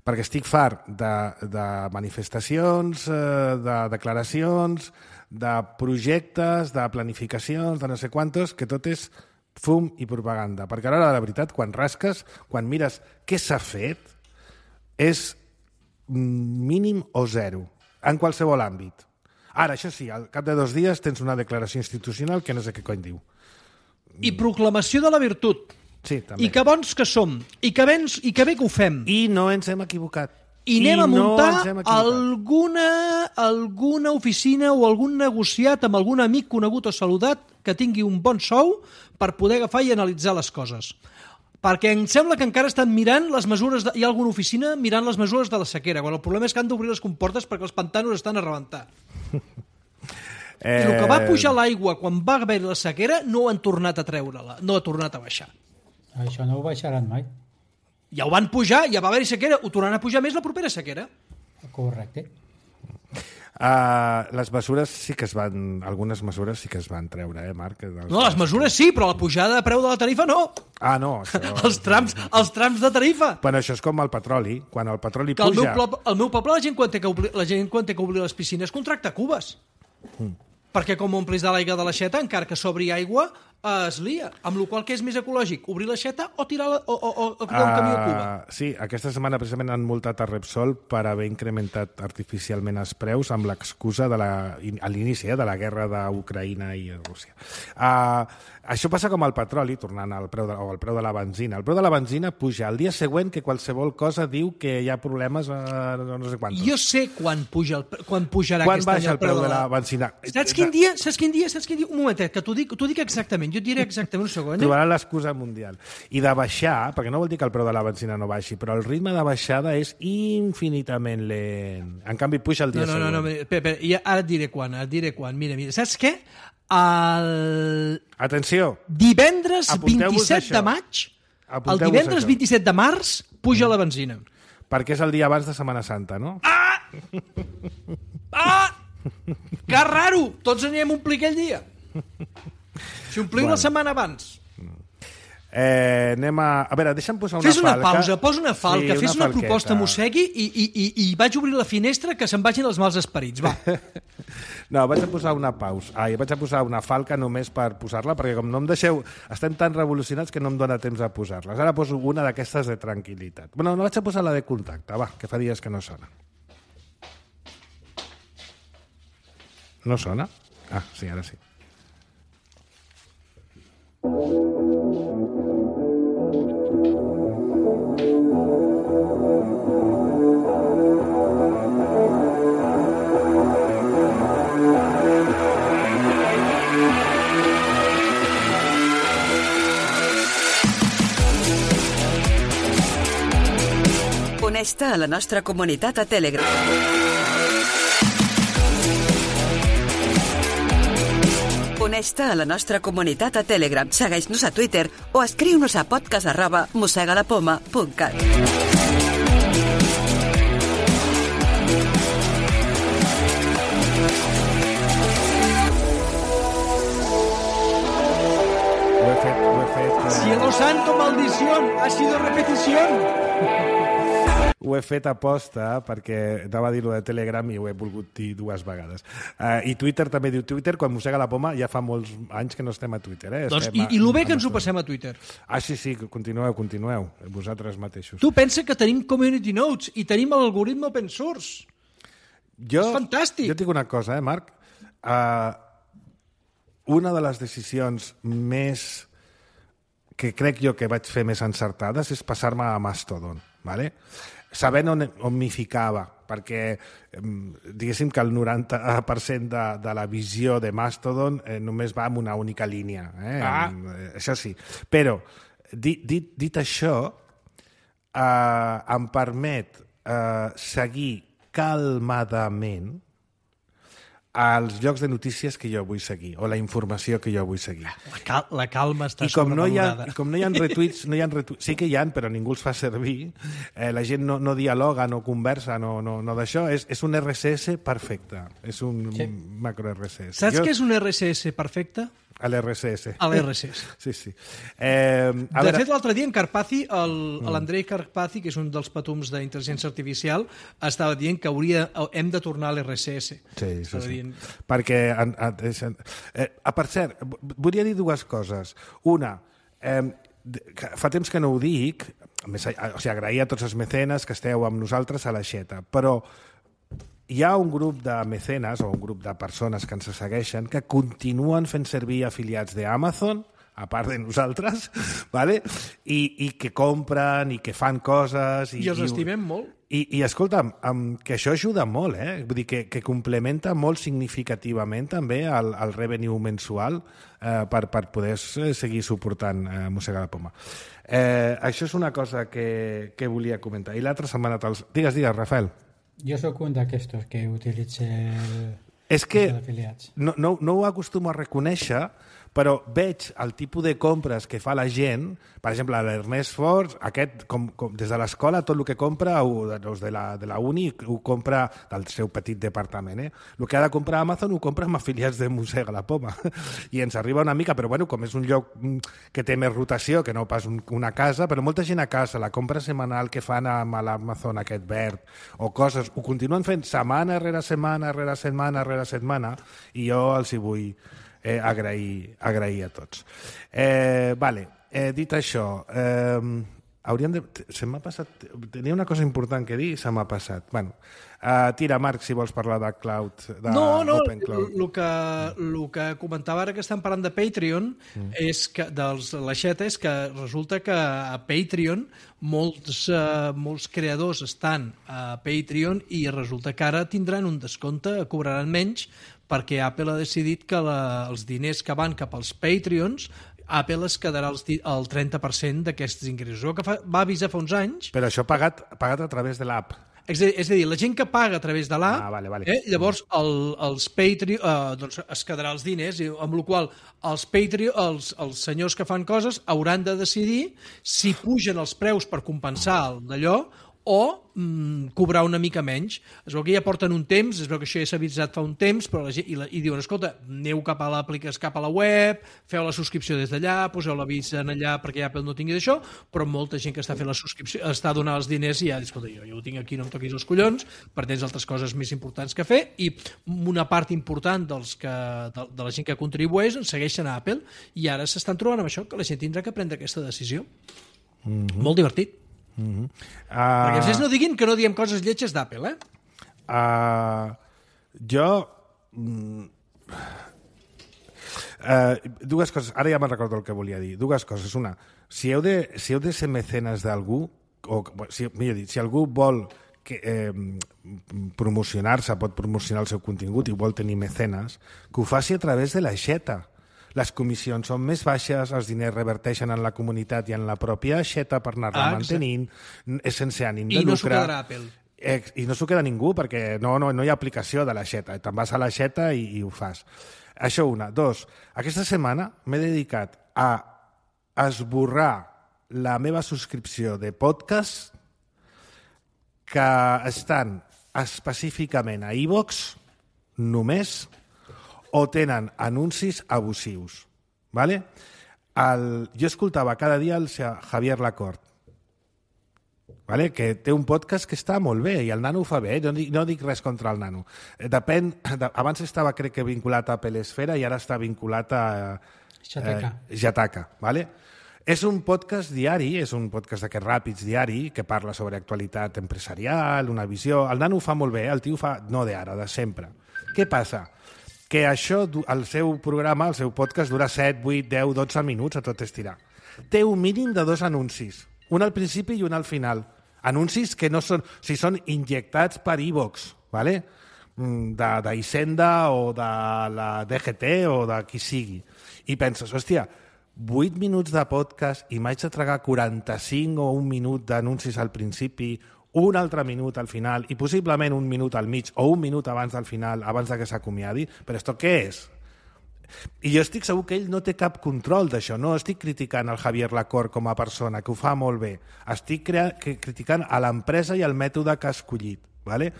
Perquè estic fart de, de manifestacions, eh, de declaracions, de projectes, de planificacions, de no sé quantos, que tot és fum i propaganda. Perquè a l'hora de la veritat, quan rasques, quan mires què s'ha fet, és mínim o zero, en qualsevol àmbit. Ara, això sí, al cap de dos dies tens una declaració institucional que no sé què cony diu. I proclamació de la virtut. Sí, també. I que bons que som. I que, ben, i que bé que ho fem. I, I no ens hem equivocat. I anem a no muntar ens hem equivocat. alguna, alguna oficina o algun negociat amb algun amic conegut o saludat que tingui un bon sou per poder agafar i analitzar les coses. Perquè em sembla que encara estan mirant les mesures... De... Hi ha alguna oficina mirant les mesures de la sequera, quan el problema és que han d'obrir les comportes perquè els pantanos estan a rebentar. Eh... I el que va pujar l'aigua quan va haver la sequera no han tornat a treure-la, no ha tornat a baixar. Això no ho baixaran mai. Ja ho van pujar, ja va haver-hi sequera, ho tornaran a pujar més la propera sequera. Correcte. Uh, les mesures sí que es van... Algunes mesures sí que es van treure, eh, Marc? Dels... No, les mesures sí, però la pujada de preu de la tarifa no. Ah, no, això... Els trams, els trams de tarifa. Bueno, això és com el petroli. Quan el petroli Que al meu, puja... poble, al meu poble la gent, quan té que obrir, la gent quan té que obrir les piscines contracta cubes. Mm. Perquè com omplis de l'aigua de l'aixeta, encara que s'obri aigua, eh, es lia. Amb la qual cosa, què és més ecològic? Obrir l'aixeta o tirar la, o, o, o, o tirar un camió a Cuba? Uh, sí, aquesta setmana precisament han multat a Repsol per haver incrementat artificialment els preus amb l'excusa de la, a l'inici eh, de la guerra d'Ucraïna i Rússia. Uh, això passa com el petroli, tornant al preu de, o al preu de la benzina. El preu de la benzina puja el dia següent que qualsevol cosa diu que hi ha problemes a no, no sé quantos. Jo sé quan, puja el, quan pujarà Quan aquest any baixa el preu de la benzina? Saps quin dia? Saps quin dia? Saps quin dia? Un momentet, que t'ho dic, t'ho dic exactament. Jo et diré exactament un segon. Eh? Trobarà l'excusa mundial. I de baixar, perquè no vol dir que el preu de la benzina no baixi, però el ritme de baixada és infinitament lent. En canvi, puja el dia No, no, no, següent. no, espera, espera, ja, ara et diré quan, ara et diré quan. Mira, mira, saps què? El Atenció, divendres Apunteu-vos vint-i-set això. de maig, el Apunteu-vos divendres això. vint-i-set de març, puja la benzina. perquè és el dia abans de Setmana Santa, no? Ah! Que raro! Tots anirem a omplir aquell dia. Si ompliu Bueno. la setmana abans. Eh, anem a... A veure, deixa'm posar una Fes una falca. pausa, posa una falca, Sí, fes una falqueta. proposta, mossegui i, i, i, i vaig obrir la finestra que se'n vagin els mals esperits. Va. No, vaig a posar una pausa. Ai, vaig a posar una falca només per posar-la, perquè com no em deixeu... Estem tan revolucionats que no em dóna temps a posar-les. Ara poso una d'aquestes de tranquil·litat. Bueno, no vaig a posar la de contacte, va, que fa dies que no sona. No sona? Ah, sí, ara sí. Uneix-te a la nostra comunitat a Telegram. Uneix-te a la nostra comunitat a Telegram, segueix-nos a Twitter o escriu-nos a podcast arroba mossegalapoma punt cat. Ho he fet... Eh... Cielo santo, maldición, ha sido repetición. Ho he fet a posta perquè anava a dir-ho de Telegram i ho he volgut dir dues vegades. Uh, I Twitter també diu Twitter, quan mossega la poma ja fa molts anys que no estem a Twitter. Eh? Doncs, estem i, I el bé a, que ens ho passem a Twitter. Ah, sí, sí, continueu, continueu, vosaltres mateixos. Tu pensa que tenim community notes i tenim l'algoritme open source. Jo, és fantàstic. Jo dic una cosa, eh, Marc? Uh, una de les decisions més que crec jo que vaig fer més encertades és passar-me a Mastodon, ¿vale? Sabent on, on m'hi ficava, perquè diguéssim que el noranta per cent de, de la visió de Mastodon eh, només va en una única línia. Eh? Ah. Eh, això sí. Però, dit, dit, dit això, eh, em permet eh, seguir calmadament als llocs de notícies que jo vull seguir, o la informació que jo vull seguir. La, cal la calma està I com no hi ha, sobrevalorada. i com no hi ha retuits, no hi ha retuits, sí que hi ha, però ningú els fa servir, eh, la gent no, no dialoga, no conversa, no, no, no d'això, és, és un R S S perfecte, és un sí. macro R S S. Saps jo... què és un R S S perfecte? A l'R S S. A l'R S S. Sí, sí. Eh, a de veure... fet, l'altre dia en Carpazzi, l'Andrei Carpazzi, que és un dels patums d'intel·ligència artificial, estava dient que hauria, hem de tornar a l'R S S. Sí, sí, sí. Dient... Perquè, en, en, eh, per cert, volia dir dues coses. Una, eh, fa temps que no ho dic, més, o sigui, agrair a tots els mecenes que esteu amb nosaltres a l'aixeta, però hi ha un grup de mecenes o un grup de persones que ens segueixen que continuen fent servir afiliats d'Amazon, a part de nosaltres, ¿vale? I, i que compren i que fan coses. I, I els estimem molt. I, i escolta'm, que això ajuda molt, eh? Vull dir que, que complementa molt significativament també el, el revenue mensual eh, per, per poder seguir suportant eh, Mossega la Poma. Eh, això és una cosa que, que volia comentar. I l'altra setmana... Tals... Digues, digues, Rafael. Jo sóc un d'aquestos que utilitza el... És que afiliats. No, no, no ho acostumo a reconèixer, però veig el tipus de compres que fa la gent, per exemple, l'Ernest Ford, aquest, com, com, des de l'escola, tot el que compra, o de la, de la uni, ho compra del seu petit departament. Eh? El que ha de comprar a Amazon ho compra amb afiliats de Mossega la Poma. I ens arriba una mica, però bueno, com és un lloc que té més rotació, que no pas un, una casa, però molta gent a casa, la compra setmanal que fan amb l'Amazon aquest verd, o coses, ho continuen fent setmana rere setmana, rere setmana, rere setmana, i jo els hi vull eh, agrair, agrair a tots. Eh, vale, eh, dit això, eh, hauríem de... Se m'ha passat... Tenia una cosa important que dir i se m'ha passat. Bueno, uh, tira, Marc, si vols parlar de Cloud, de no, no, Open Cloud. El que, el que comentava ara que estem parlant de Patreon, mm. és que, dels l'aixeta, és que resulta que a Patreon molts, uh, molts creadors estan a Patreon i resulta que ara tindran un descompte, cobraran menys, perquè Apple ha decidit que la, els diners que van cap als Patreons Apple es quedarà el trenta per cent d'aquests ingressos. El que fa, va avisar fa uns anys... Però això pagat, pagat a través de l'app. És a, és a dir, la gent que paga a través de l'app, ah, vale, vale. eh, llavors el, els Patreon eh, doncs es quedarà els diners, i amb la qual els Patreon, els, els senyors que fan coses hauran de decidir si pugen els preus per compensar d'allò o mm, cobrar una mica menys. Es veu que ja porten un temps, es veu que això ja s'ha avisat fa un temps, però la gent, i, la, i diuen, escolta, aneu cap a l'aplicació, cap a la web, feu la subscripció des d'allà, poseu l'avís en allà perquè Apple no tingui d'això, però molta gent que està fent la subscripció està donant els diners i ja, escolta, jo, jo ho tinc aquí, no em toquis els collons, perquè tens altres coses més importants que fer, i una part important dels que, de, de la gent que contribueix segueixen a Apple, i ara s'estan trobant amb això, que la gent tindrà que prendre aquesta decisió. Mm-hmm. Molt divertit. Mm-hmm. uh... Perquè vostès no diguin que no diem coses lletges d'Apple, eh? Uh, jo... Mm, uh, dues coses, ara ja me'n recordo el que volia dir. Dues coses. Una, si heu de, si heu de ser mecenes d'algú, o si, millor dit, si algú vol que, eh, promocionar-se, pot promocionar el seu contingut i vol tenir mecenes, que ho faci a través de l'aixeta. Les comissions són més baixes, els diners reverteixen en la comunitat i en la pròpia aixeta per anar-la ah, mantenint, és sense ànim de lucre. I no s'ho quedarà Apple. Eh, I no s'ho queda ningú, perquè no, no, no hi ha aplicació de l'aixeta. Te'n vas a l'aixeta i, i ho fas. Això una. Dos, aquesta setmana m'he dedicat a esborrar la meva subscripció de podcast que estan específicament a iVoox només o tenen anuncis abusius. Vale? el, jo escoltava cada dia el Javier Lacorte, vale? Que té un podcast que està molt bé, i el nano ho fa bé, no dic, no dic res contra el nano. Depèn, de, abans estava, crec que, vinculat a Pelesfera i ara està vinculat a Xataca. Eh, Xataca, vale? És un podcast diari, és un podcast d'aquests ràpids diari, que parla sobre actualitat empresarial, una visió... El nano ho fa molt bé, el tio fa, no d'ara, de sempre. Què passa? Que això, el seu programa, el seu podcast, dura set, vuit, deu, dotze minuts a tot estirar. Té un mínim de dos anuncis, un al principi i un al final. Anuncis que no són... O sigui, són injectats per iVox, ¿vale? d'Hisenda o de la D G T o de qui sigui. I penses, hòstia, vuit minuts de podcast i m'haig de tragar quaranta-cinc o un minut d'anuncis al principi, un altre minut al final i possiblement un minut al mig o un minut abans del final, abans de que s'acomiadi. Però esto què és? I jo estic segur que ell no té cap control d'això. No estic criticant el Javier Lacorte com a persona, que ho fa molt bé. Estic criticant a l'empresa i el mètode que ha escollit. Vale?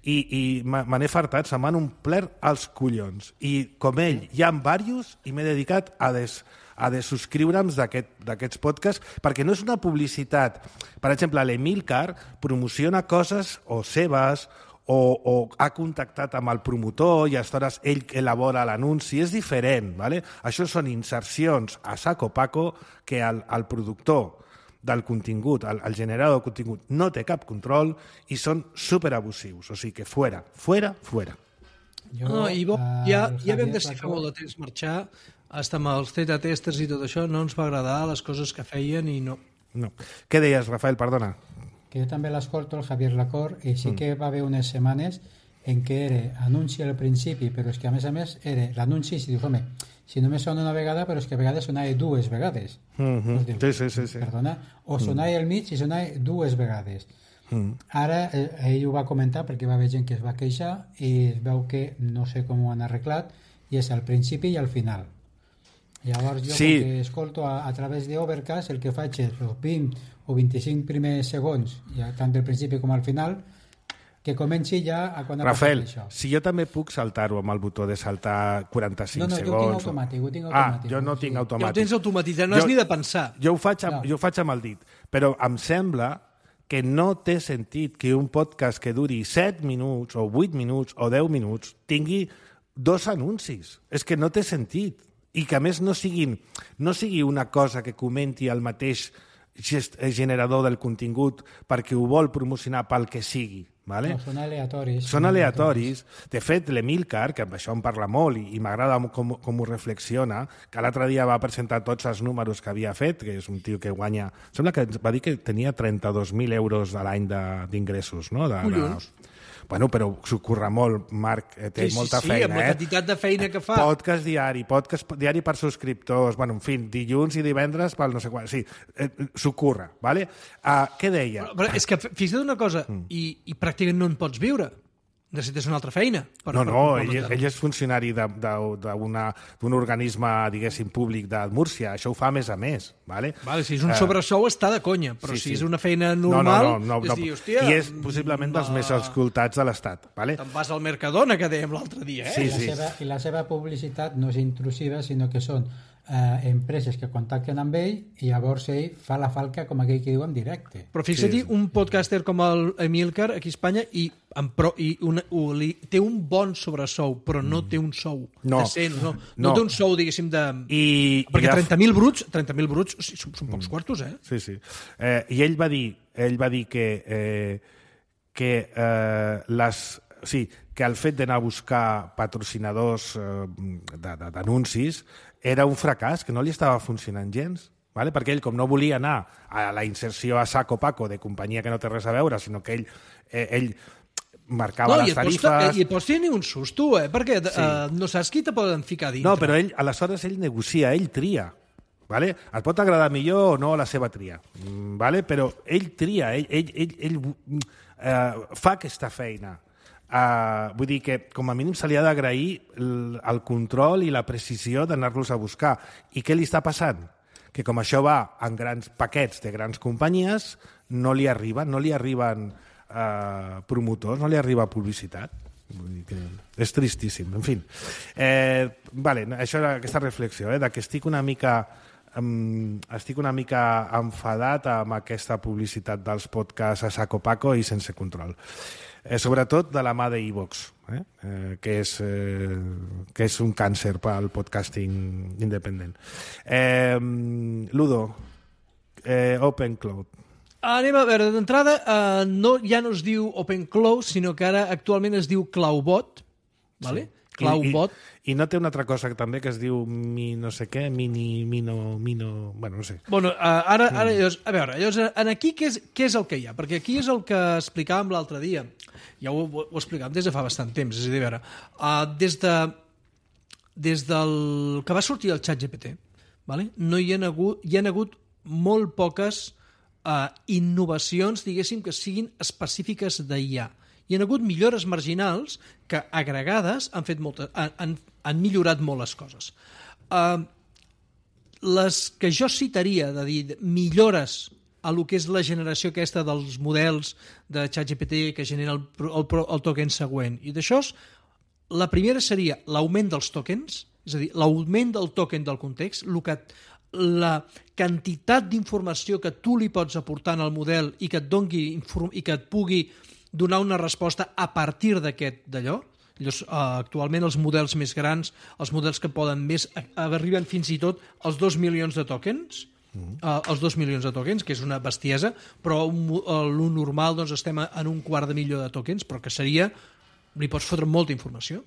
I, i me n'he fartat, se m'han omplert els collons. I com ell, hi ha diversos i m'he dedicat a, des, a desubscriure'm d'aquests podcasts, perquè no és una publicitat. Per exemple, l'Emilcar promociona coses o seves o, o ha contactat amb el promotor i aleshores ell elabora l'anunci. És diferent. Vale? Això són insercions a saco paco que el, el productor del contingut, el, el generador de contingut, no té cap control i són superabusius. O sigui que fuera, fuera, fuera. Jo, no, i bo, ja, ja vam decidir fa molt de temps marxar, hasta amb els theta testers i tot això, no ens va agradar les coses que feien i no. No. Què deies, Rafael? Perdona. Que jo també l'escolto, el Javier Lacorte, i sí que va haver unes setmanes en què era anunci al principi, però és que a més a més era l'anunci i dius, home, si només sona una vegada, però és que a vegades sonava dues vegades. Mm-hmm. Dius, sí, sí, sí, sí. Perdona? O sonava mm. al mig i sonava dues vegades. Mm. Ara eh, ell ho va comentar perquè va haver gent que es va queixar i es veu que no sé com ho han arreglat i és al principi i al final. Llavors jo sí. que escolto a, a través d'Overcast el que faig és els vint o vint-i-cinc primers segons, ja, tant del principi com al final, que comenci ja a quan ha Rafael, passat això. Si jo també puc saltar-ho amb el botó de saltar quaranta-cinc no, no, segons... No, no, jo ho tinc automàtic, ho tinc automàtic. Ah, jo no sí. tinc automàtic. Ja ho tens automatitzat, no jo, has ni de pensar. Jo ho, faig amb, no. jo ho faig amb el dit, però em sembla que no té sentit que un podcast que duri set minuts o vuit minuts o deu minuts tingui dos anuncis. És que no té sentit. I que a més no, siguin, no sigui una cosa que comenti el mateix generador del contingut perquè ho vol promocionar pel que sigui. Vale? No, són aleatoris. Són aleatoris. De fet, l'Emilcar, que amb això em parla molt i, i m'agrada com, com ho reflexiona, que l'altre dia va presentar tots els números que havia fet, que és un tio que guanya... Sembla que va dir que tenia trenta-dos mil euros a l'any d'ingressos, no? De, Collons. De... Bueno, però s'ho curra molt, Marc, eh, té sí, molta sí, feina, sí, amb la eh? quantitat de feina que fa. Podcast diari, podcast diari per subscriptors, bueno, en fi, dilluns i divendres pel no sé quan, sí, eh, s'ho curra, ¿vale? Uh, què deia? Però, però és que fixa't una cosa, mm. i, i pràcticament no en pots viure. Necessites una altra feina. Per, no, per, no, per ell, ell és funcionari d'un organisme, diguéssim, públic de Múrcia. Això ho fa més a més, ¿vale? Vale, si és un sobresou està de conya, però sí, si sí. és una feina normal, no, no, no, no, és no. dir, hòstia... I és possiblement dels més escoltats de l'Estat, ¿vale? Te'n vas al Mercadona, que dèiem l'altre dia, eh? Sí, I, la sí. seva, I la seva publicitat no és intrusiva, sinó que són eh, empreses que contacten amb ell i llavors ell fa la falca, com aquell que diu, en directe. Però fixa't, sí, un podcaster com el Emilcar aquí a Espanya i, en pro, i una, u, li, té un bon sobresou, però no té un sou no. decent, no, no, no té un sou, diguéssim, de... I, perquè i trenta mil bruts, trenta mil bruts o sigui, són, són pocs quartos, eh? Sí, sí. Eh, I ell va dir, ell va dir que, eh, que eh, les... Sí, que el fet d'anar a buscar patrocinadors eh, d'anuncis era un fracàs, que no li estava funcionant gens, vale? Perquè ell, com no volia anar a la inserció a saco paco de companyia que no té res a veure, sinó que ell, eh, ell marcava no, les tarifes... No, i et pots tenir un susto, eh? Perquè sí. uh, no saps qui te poden ficar dintre. No, però ell, aleshores ell negocia, ell tria. Vale? Et pot agradar millor o no la seva tria, vale? Però ell tria, ell, ell, ell, ell uh, fa aquesta feina. Uh, vull dir que com a mínim se li ha d'agrair el, el control i la precisió d'anar-los a buscar. I què li està passant? Que com això va en grans paquets de grans companyies, no li arriben, no li arriben uh, promotors, no li arriba publicitat. Vull dir que és tristíssim, en fi. Eh, vale, això era aquesta reflexió, eh, de que estic una mica um, estic una mica enfadat amb aquesta publicitat dels podcasts a saco paco i sense control. Eh, sobretot de la mà d'Evox, eh? eh, que, és, eh, que és un càncer pel podcasting independent. Eh, Ludo, eh, Open Cloud. Anem a veure, d'entrada, eh, no, ja no es diu Open Cloud, sinó que ara actualment es diu CloudBot, vale? Sí. CloudBot. I, I, I no té una altra cosa també que es diu mi no sé què, mini, mino, mino... Bueno, no sé. Bueno, uh, ara, ara llavors, a veure, llavors, en aquí què és, què és el que hi ha? Perquè aquí és el que explicàvem l'altre dia. Ja ho, ho, ho explicàvem des de fa bastant temps. És a dir, a veure, uh, des, de, des del que va sortir el ChatGPT, vale? No hi ha hagut, hi ha hagut molt poques uh, innovacions, diguéssim, que siguin específiques d'I A. Hi ha hagut millores marginals que, agregades, han, fet moltes, han, han millorat molt les coses. Uh, les que jo citaria, de dir millores a lo que és la generació aquesta dels models de ChatGPT que genera el, el, el token següent, i d'això, la primera seria l'augment dels tokens, és a dir, l'augment del token del context, el que, la quantitat d'informació que tu li pots aportar al model i que et dongui i que et pugui donar una resposta a partir d'aquest d'allò. Llavors, uh, actualment els models més grans, els models que poden més, arriben fins i tot als dos milions de tokens, mm. uh, els dos milions de tokens, que és una bestiesa, però uh, lo normal doncs, estem en un quart de milió de tokens, però que seria, li pots fotre molta informació.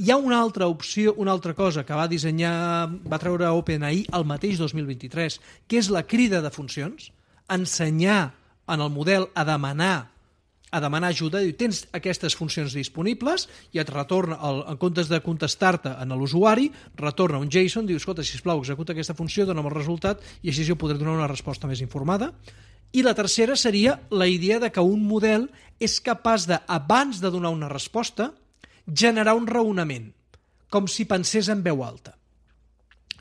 Hi ha una altra opció, una altra cosa que va dissenyar, va treure OpenAI el mateix dos mil vint-i-tres, que és la crida de funcions, ensenyar en el model a demanar a demanar ajuda, diu, tens aquestes funcions disponibles i et retorna, el, en comptes de contestar-te a l'usuari, retorna un JSON, diu, escolta, sisplau, executa aquesta funció, dona'm el resultat i així jo podré donar una resposta més informada. I la tercera seria la idea de que un model és capaç de, abans de donar una resposta, generar un raonament, com si pensés en veu alta.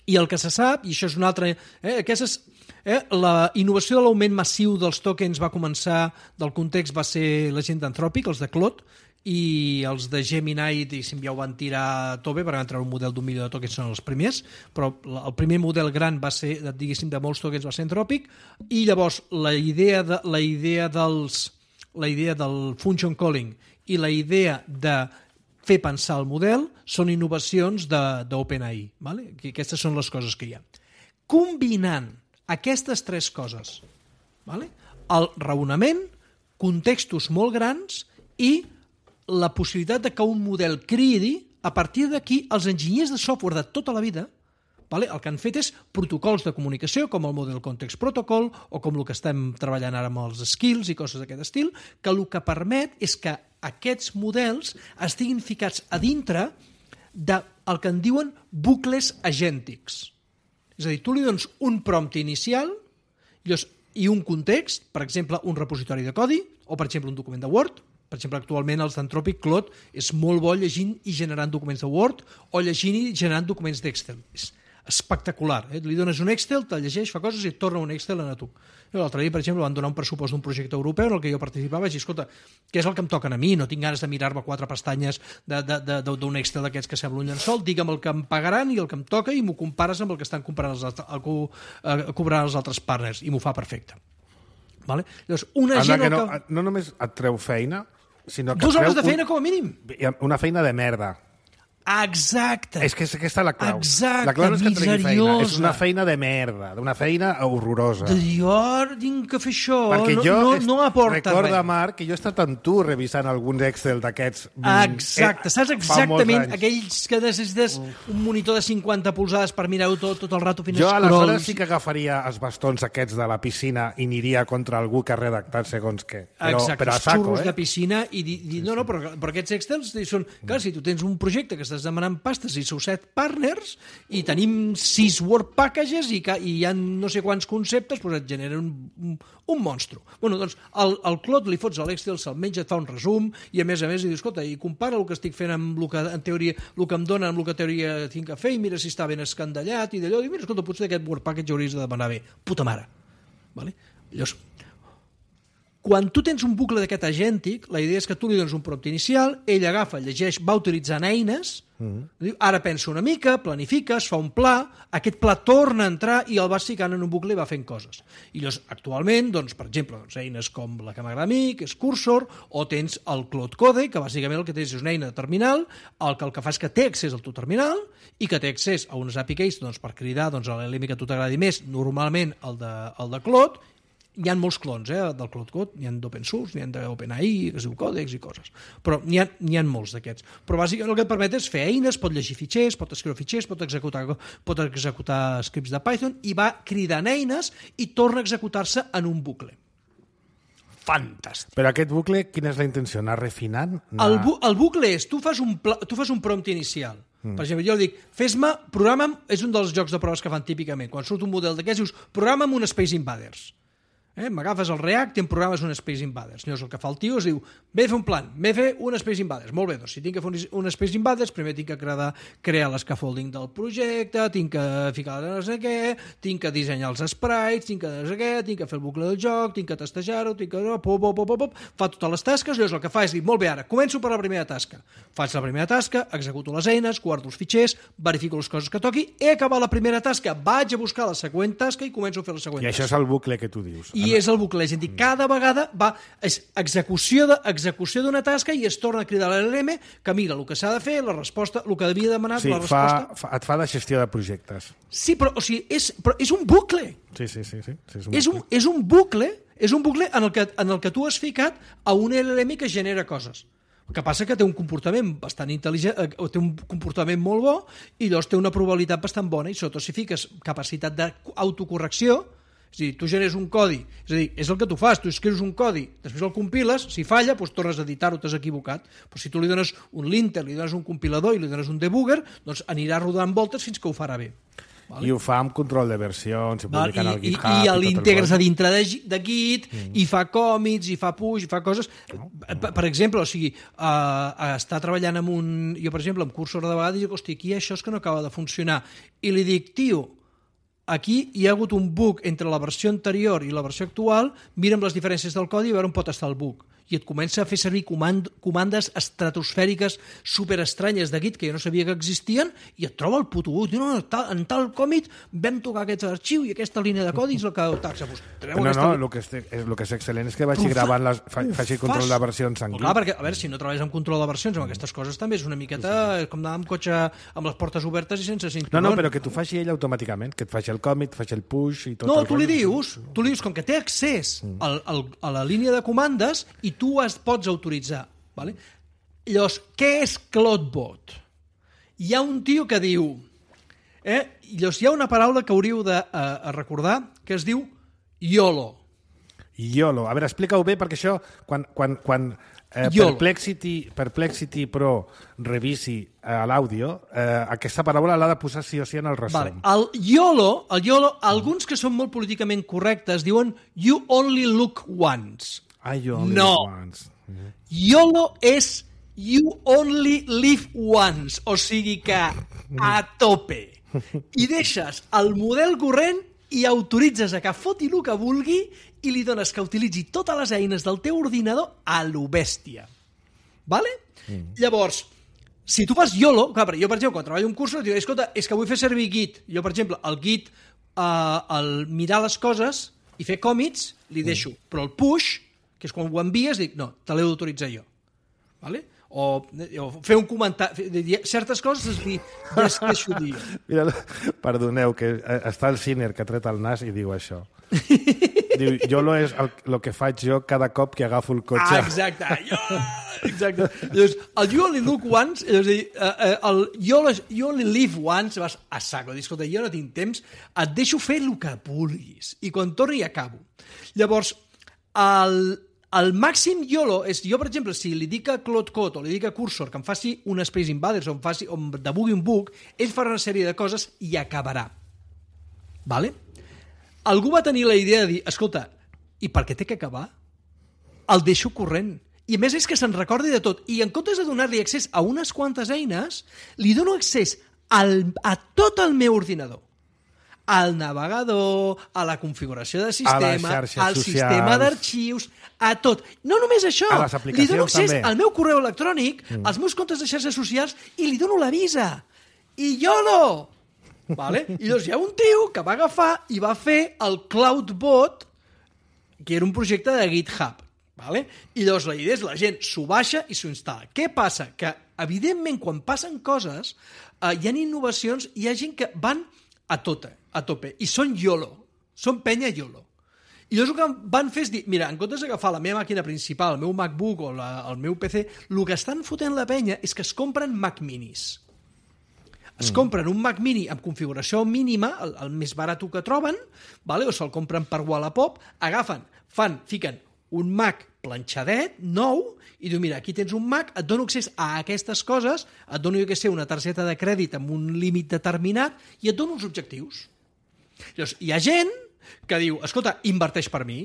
I el que se sap, i això és una altra... Eh, aquestes, eh, la innovació de l'augment massiu dels tokens va començar, del context va ser la gent d'Anthropic, els de Claude, i els de Gemini, diguéssim, ja ho van tirar a tope, perquè van treure un model d'un milió de tokens, són els primers, però el primer model gran va ser, diguéssim, de molts tokens va ser Anthropic, i llavors la idea, de, la idea, dels, la idea del function calling i la idea de fer pensar el model són innovacions d'OpenAI. Vale? Aquestes són les coses que hi ha. Combinant aquestes tres coses, vale? El raonament, contextos molt grans i la possibilitat de que un model cridi, a partir d'aquí els enginyers de software de tota la vida, vale? El que han fet és protocols de comunicació, com el Model Context Protocol, o com el que estem treballant ara amb els skills i coses d'aquest estil, que el que permet és que aquests models estiguin ficats a dintre del que en diuen bucles agèntics. És a dir, tu li dones un prompt inicial i un context, per exemple, un repositori de codi, o per exemple, un document de Word. Per exemple, actualment els d'Anthropic Claude és molt bo llegint i generant documents de Word o llegint i generant documents d'Excel. És espectacular. Eh? Li dones un Excel, te'l llegeix, fa coses i et torna un Excel a tu. L'altre dia, per exemple, van donar un pressupost d'un projecte europeu en el que jo participava i vaig dir, escolta, què és el que em toca a mi? No tinc ganes de mirar-me quatre pestanyes d'un Excel d'aquests que sembla un llençol, digue'm el que em pagaran i el que em toca i m'ho compares amb el que estan comprant els, el, el, cobrant els altres partners i m'ho fa perfecte. Vale? Llavors, una Anda, gent... que no, que... no només et treu feina, sinó que Dues hores de feina un, com a mínim. Una feina de merda. Exacte. És que aquesta és la clau. Exacte, la clau no és que tregui feina, és una miseriosa. feina de merda, d'una feina horrorosa. De dir, oh, tinc que fer això, Perquè no, jo no, est- no aporta recorda, res. Marc, que jo he estat amb tu revisant alguns Excel d'aquests... mm, Exacte, eh, saps fa molts exactament anys. aquells que necessites un monitor de cinquanta polzades per mirar-ho tot, tot el rato fins Jo aleshores scrolls. sí que agafaria els bastons aquests de la piscina i aniria contra algú que ha redactat segons què. Però, Exacte, però a els saco, xurros eh? de piscina i dir, dir no, no, però, però aquests Excels són, clar, si tu tens un projecte que estàs demanant pastes i sou set partners i tenim sis Word packages i, ca- i hi ha no sé quants conceptes, doncs et genera un, un, un monstru. Bueno, doncs el, el Claude li fots a l'Excel, se'l menja, et fa un resum i a més a més i dius, escolta, i compara el que estic fent amb el que en teoria, el que em dona amb el que en teoria tinc que fer i mira si està ben escandallat i d'allò, i mira, escolta, potser d'aquest Word package hauries de demanar bé. Puta mare. Vale? Llavors, quan tu tens un bucle d'aquest agèntic, la idea és que tu li dones un prompt inicial, ell agafa, llegeix, va utilitzant eines, Mm. Ara pensa una mica, planifica, es fa un pla, aquest pla torna a entrar i el vas ficant en un bucle i va fent coses. I llavors, actualment, doncs, per exemple, doncs, eines com la que m'agrada a mi, que és Cursor, o tens el Cloud Code, que bàsicament el que tens és una eina de terminal, el que el que fa és que té accés al teu terminal i que té accés a unes A P I Keys doncs, per cridar doncs, a l'L M que a tu t'agradi més, normalment el de, el de Cloud. Hi ha molts clons eh, del Cloud Code, n'hi ha d'open source, n'hi ha d'OpenAI, que es diu Codex i coses, però n'hi ha, n'hi ha molts d'aquests. Però bàsicament el que et permet és fer eines, pot llegir fitxers, pot escriure fitxers, pot executar, pot executar scripts de Python i va cridant eines i torna a executar-se en un bucle. Fantàstic. Però aquest bucle, quina és la intenció? Anar refinant? Anar... El, bu el bucle és, tu fas un, pla, tu fas un prompt inicial. Mm. Per exemple, jo dic, fes-me, programa'm, és un dels jocs de proves que fan típicament, quan surt un model d'aquests, dius, programa'm un Space Invaders. Eh? M'agafes el React i em programes un Space Invaders. Llavors el que fa el tio es diu, m'he de fer un plan, m'he de fer un Space Invaders. Molt bé, doncs si tinc que fer un Space Invaders, primer tinc que crear, crear l'escaffolding del projecte, tinc que ficar no sé què, tinc que dissenyar els sprites, tinc que no sé què, tinc que fer el bucle del joc, tinc que testejar-ho, tinc que... Pop, pop, pop, pop, fa totes les tasques, llavors el que fa és dir, molt bé, ara, començo per la primera tasca. Faig la primera tasca, executo les eines, guardo els fitxers, verifico les coses que toqui, he acabat la primera tasca, vaig a buscar la següent tasca i començo a fer la següent I tasca. això és el bucle que tu dius. I és el bucle, és a dir, cada vegada va, és execució de, execució d'una tasca i es torna a cridar a l'L M que mira el que s'ha de fer, la resposta, el que devia demanar, sí, la resposta... Fa, fa, et fa de gestió de projectes. Sí, però, o sigui, és, però és un bucle. Sí, sí, sí. sí, sí és, És un un, és un bucle, és un bucle en el, que, en el que tu has ficat a un L L M que genera coses. El que passa que té un comportament bastant intel·ligent, o té un comportament molt bo i llavors té una probabilitat bastant bona i sobretot si fiques capacitat d'autocorrecció. És a dir, tu generes un codi, és a dir, és el que tu fas, tu escrius un codi, després el compiles, si falla, doncs tornes a editar-ho, t'has equivocat. Però si tu li dones un linter, li dones un compilador i li dones un debugger, doncs anirà rodant voltes fins que ho farà bé. Vale? I ho fa amb control de versions, i publicant al GitHub... I, i, i l'integres a el dintre de, de Git, mm. i fa còmits, i fa push, i fa coses... No, no. Per, per exemple, o sigui, uh, està treballant amb un... Jo, per exemple, amb Cursor de vegades dic, hosti, aquí això és que no acaba de funcionar. I li dic, tio, aquí hi ha hagut un bug entre la versió anterior i la versió actual, mira'm les diferències del codi i a veure on pot estar el bug. I et comença a fer servir comand comandes estratosfèriques superestranyes de Git que jo no sabia que existien i et troba el puto bug. No, no, tal, en tal còmit vam tocar aquest arxiu i aquesta línia de codi és el que taxa. Pues, no, aquesta... no, el que, és, el que és excel·lent és que vagi fa, gravant, les, fa, faci control de versions en Git. Clar, perquè, a veure, si no treballes amb control de versions, amb aquestes coses també és una miqueta sí, sí. com anar amb cotxe amb les portes obertes i sense cinturó. No, no, però que t'ho faci ell automàticament, que et faci el còmit, faci el push i tot. No, el tu li dius, tu li dius, com que té accés al, al, a la línia de comandes i tu es pots autoritzar. Vale? Llavors, què és CloudBot? Hi ha un tio que diu... Eh? Llavors, hi ha una paraula que hauríeu de uh, recordar que es diu YOLO. YOLO. A veure, explica-ho bé, perquè això, quan, quan, quan eh, Perplexity, Perplexity Pro revisi eh, l'àudio, eh, aquesta paraula l'ha de posar sí o sí en el resum. Vale. El YOLO, el YOLO, alguns que són molt políticament correctes diuen You only look once. Ah, you only no. look once. Mm-hmm. YOLO és You only live once, o sigui que a tope. I deixes el model corrent i autoritzes a que foti el que vulgui i li dones que utilitzi totes les eines del teu ordinador a lo bèstia. Vale? Mm. Llavors, si tu fas YOLO, clar, jo, per exemple, quan treballo un curs, dic, escolta, és que vull fer servir Git. Jo, per exemple, el Git, eh, el mirar les coses i fer còmits, li deixo. Mm. Però el push, que és quan ho envies, dic, no, te l'he d'autoritzar jo. Vale? O, o fer un comentari, certes coses es dir, ja es deixo dir. Mira, perdoneu, que està el Sinner que ha tret el nas i diu això. Diu, YOLO és el, el que faig jo cada cop que agafo el cotxe. Ah, exacte. Jo, exacte. Llavors, el You only look once, és a dir, el you only, you only live once, vas a saco, dir, escolta, jo no tinc temps, et deixo fer el que vulguis. I quan torni acabo. Llavors, el... El màxim YOLO és, jo, per exemple, si li dic a Cloud Code o li dic a Cursor que em faci un Space Invaders o em faci, o em debugui un bug, ell farà una sèrie de coses i acabarà. Vale? Algú va tenir la idea de dir, escolta, i per què té que acabar? El deixo corrent. I a més és que se'n recordi de tot. I en comptes de donar-li accés a unes quantes eines, li dono accés al, a tot el meu ordinador. Al navegador, a la configuració de sistema, al socials. Sistema d'arxius, a tot. No només això, a les aplicacions, li dono accés també. al meu correu electrònic, mm. als meus comptes de xarxes socials, i li dono la visa. I YOLO! Vale? I llavors hi ha un tio que va agafar i va fer el CloudBot, que era un projecte de GitHub. Vale? I llavors la idea és la gent s'ho baixa i s'ho instal·la. Què passa? Que, evidentment, quan passen coses, eh, hi ha innovacions, hi ha gent que van a tope, a tope, i són YOLO, són penya YOLO. I llavors el que van fer és dir, mira, en comptes d'agafar la meva màquina principal, el meu MacBook o la, el meu P C, el que estan fotent la penya és que es compren Mac Minis. Es mm. compren un Mac Mini amb configuració mínima, el, el més barat que troben, vale? O se'l compren per Wallapop, agafen, fan, fiquen un Mac planxadet, nou, i diu, mira, aquí tens un Mac, et dono accés a aquestes coses, et dono, jo què sé, una targeta de crèdit amb un límit determinat, i et dono uns objectius. Llavors, hi ha gent que diu, escolta, inverteix per mi,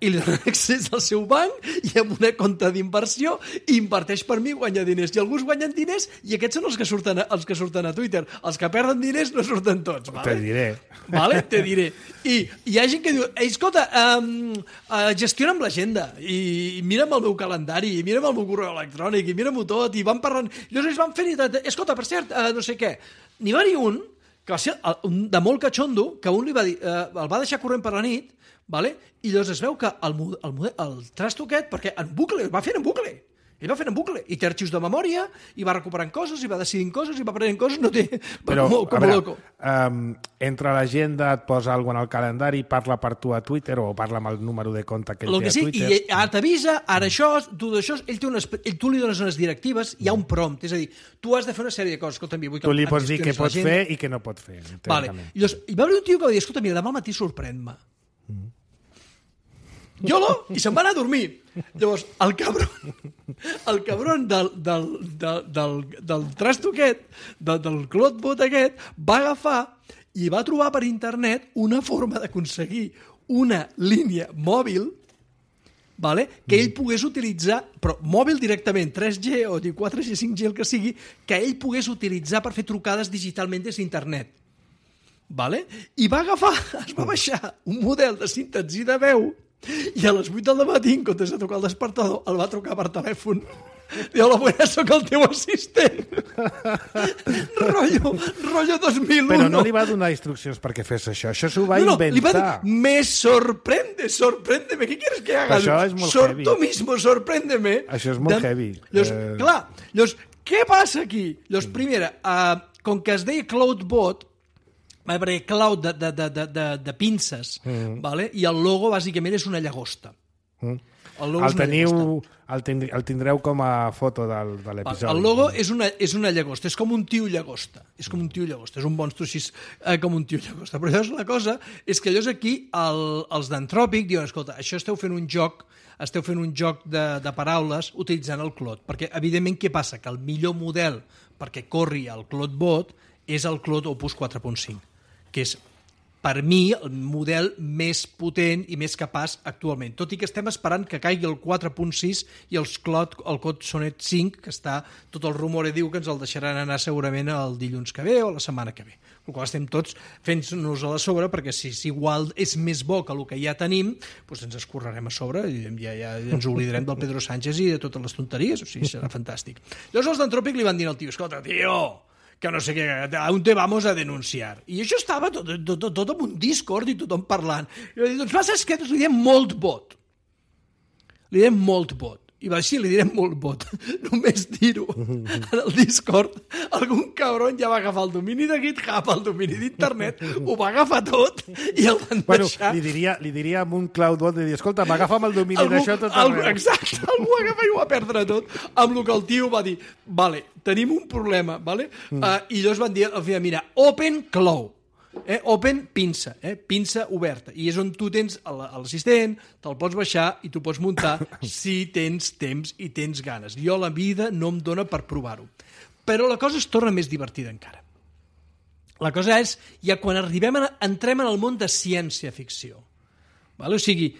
i li dona accés al seu banc i amb una compte d'inversió inverteix per mi, guanya diners. I alguns guanyen diners i aquests són els que surten a, els que surten a Twitter. Els que perden diners no surten tots. Vale? Te diré. Vale? Te diré. I hi ha gent que diu, ei, escolta, um, uh, gestiona'm l'agenda i mira'm el meu calendari i mira'm el meu correu electrònic i mira'm-ho tot i van parlant. Llavors ells van fent i tot. Escolta, per cert, uh, no sé què. N'hi va haver un que va ser un de molt catxondo que un li va dir, uh, el va deixar corrent per la nit. Vale? I llavors es veu que el, el, el trasto aquest, perquè en bucle, va fent en bucle, ell va fent en bucle, i té arxius de memòria, i va recuperant coses, i va decidint coses, i va aprenent coses, no té... Però, com, com a veure, loco. Um, entra a l'agenda, et posa alguna cosa al calendari, parla per tu a Twitter, o parla amb el número de compte que ell Lo té que sí, a Twitter. I ara t'avisa, ara això, tu d'això, ell té unes, ell, tu li dones unes directives, hi ha un prompt, és a dir, tu has de fer una sèrie de coses, escolta, vull que tu li pots dir què pots fer i què no pots fer. Vale. I llavors, hi va haver un tio que va dir, escolta, mira, demà al matí sorprèn-me. Mm. YOLO, i se'n va anar a dormir. Llavors, el cabron, el cabron del, del, del, del, del trasto aquest, del, del CloudBot aquest, va agafar i va trobar per internet una forma d'aconseguir una línia mòbil, vale? Que ell pogués utilitzar, però mòbil directament, tres G o quatre G, cinc G, el que sigui, que ell pogués utilitzar per fer trucades digitalment des d'internet. Vale? I va agafar, es va baixar un model de síntesi de veu i a les vuit del matí, en comptes de trucar el despertador, el va trucar per telèfon. Diu, hola, buena, soc el teu assistent. Rollo, rollo dos mil u. Però no li va donar instruccions perquè fes això. Això s'ho va no, no, inventar. Li va dir, me sorprende, sorpréndeme. ¿Qué quieres que haga? Això és molt Sor, heavy. Tu mismo, sorpréndeme. Això és molt de... heavy. Llavors, eh... clar, llavors, què passa aquí? Llavors, primera, uh, com que es deia CloudBot, va haver cloud de, de, de, de, de, de pinces, mm. vale? I el logo bàsicament és una llagosta. Mm. El, el, teniu, el, tindre, el tindreu com a foto del, de l'episodi. El logo és una, és una llagosta, és com un tio llagosta. És com un tio llagosta, és un monstru així eh, com un tio llagosta. Però llavors la cosa és que llavors aquí el, els d'Antròpic diuen, escolta, això esteu fent un joc esteu fent un joc de, de paraules utilitzant el Claude, perquè evidentment què passa? Que el millor model perquè corri el CloudBot és el Claude Opus quatre punt cinc, que és, per mi, el model més potent i més capaç actualment. Tot i que estem esperant que caigui el quatre punt sis i els Claude, el Claude Sonnet cinc, que està, tot el rumor diu que ens el deixaran anar segurament el dilluns que ve o la setmana que ve. El qual estem tots fent-nos a la sobre, perquè si, si igual és més bo que el que ja tenim, doncs ens escorrerem a sobre i ja, ja ens oblidarem del Pedro Sánchez i de totes les tonteries, o sigui, serà fantàstic. Llavors els d'Antròpic li van dir al tio, escolta, tio, que no sé què, on te vamos a denunciar. I això estava tot, tot, tot, tot en un Discord i tothom parlant. I va dir, doncs va, saps què? Li diem MoltBot. Li diem MoltBot. I va dir, sí, li direm MoltBot. Només dir-ho en el Discord, algun cabron ja va agafar el domini de GitHub, el domini d'internet, ho va agafar tot i el van bueno, deixar... Li diria, li diria amb un CloudBot de dir, escolta, m'agafa'm el domini d'això tot arreu. arreu. Exacte, algú agafa i ho va perdre tot, amb el que el tio va dir, vale, tenim un problema, vale? Mm. Uh, i llavors van dir, al final, mira, Open Cloud. Eh? Open, pinça, eh? Pinça oberta. I és on tu tens l'assistent, te'l pots baixar i tu pots muntar si tens temps i tens ganes. Jo la vida no em dóna per provar-ho. Però la cosa es torna més divertida encara. La cosa és, ja quan arribem a, entrem en el món de ciència-ficció. Vale? O sigui,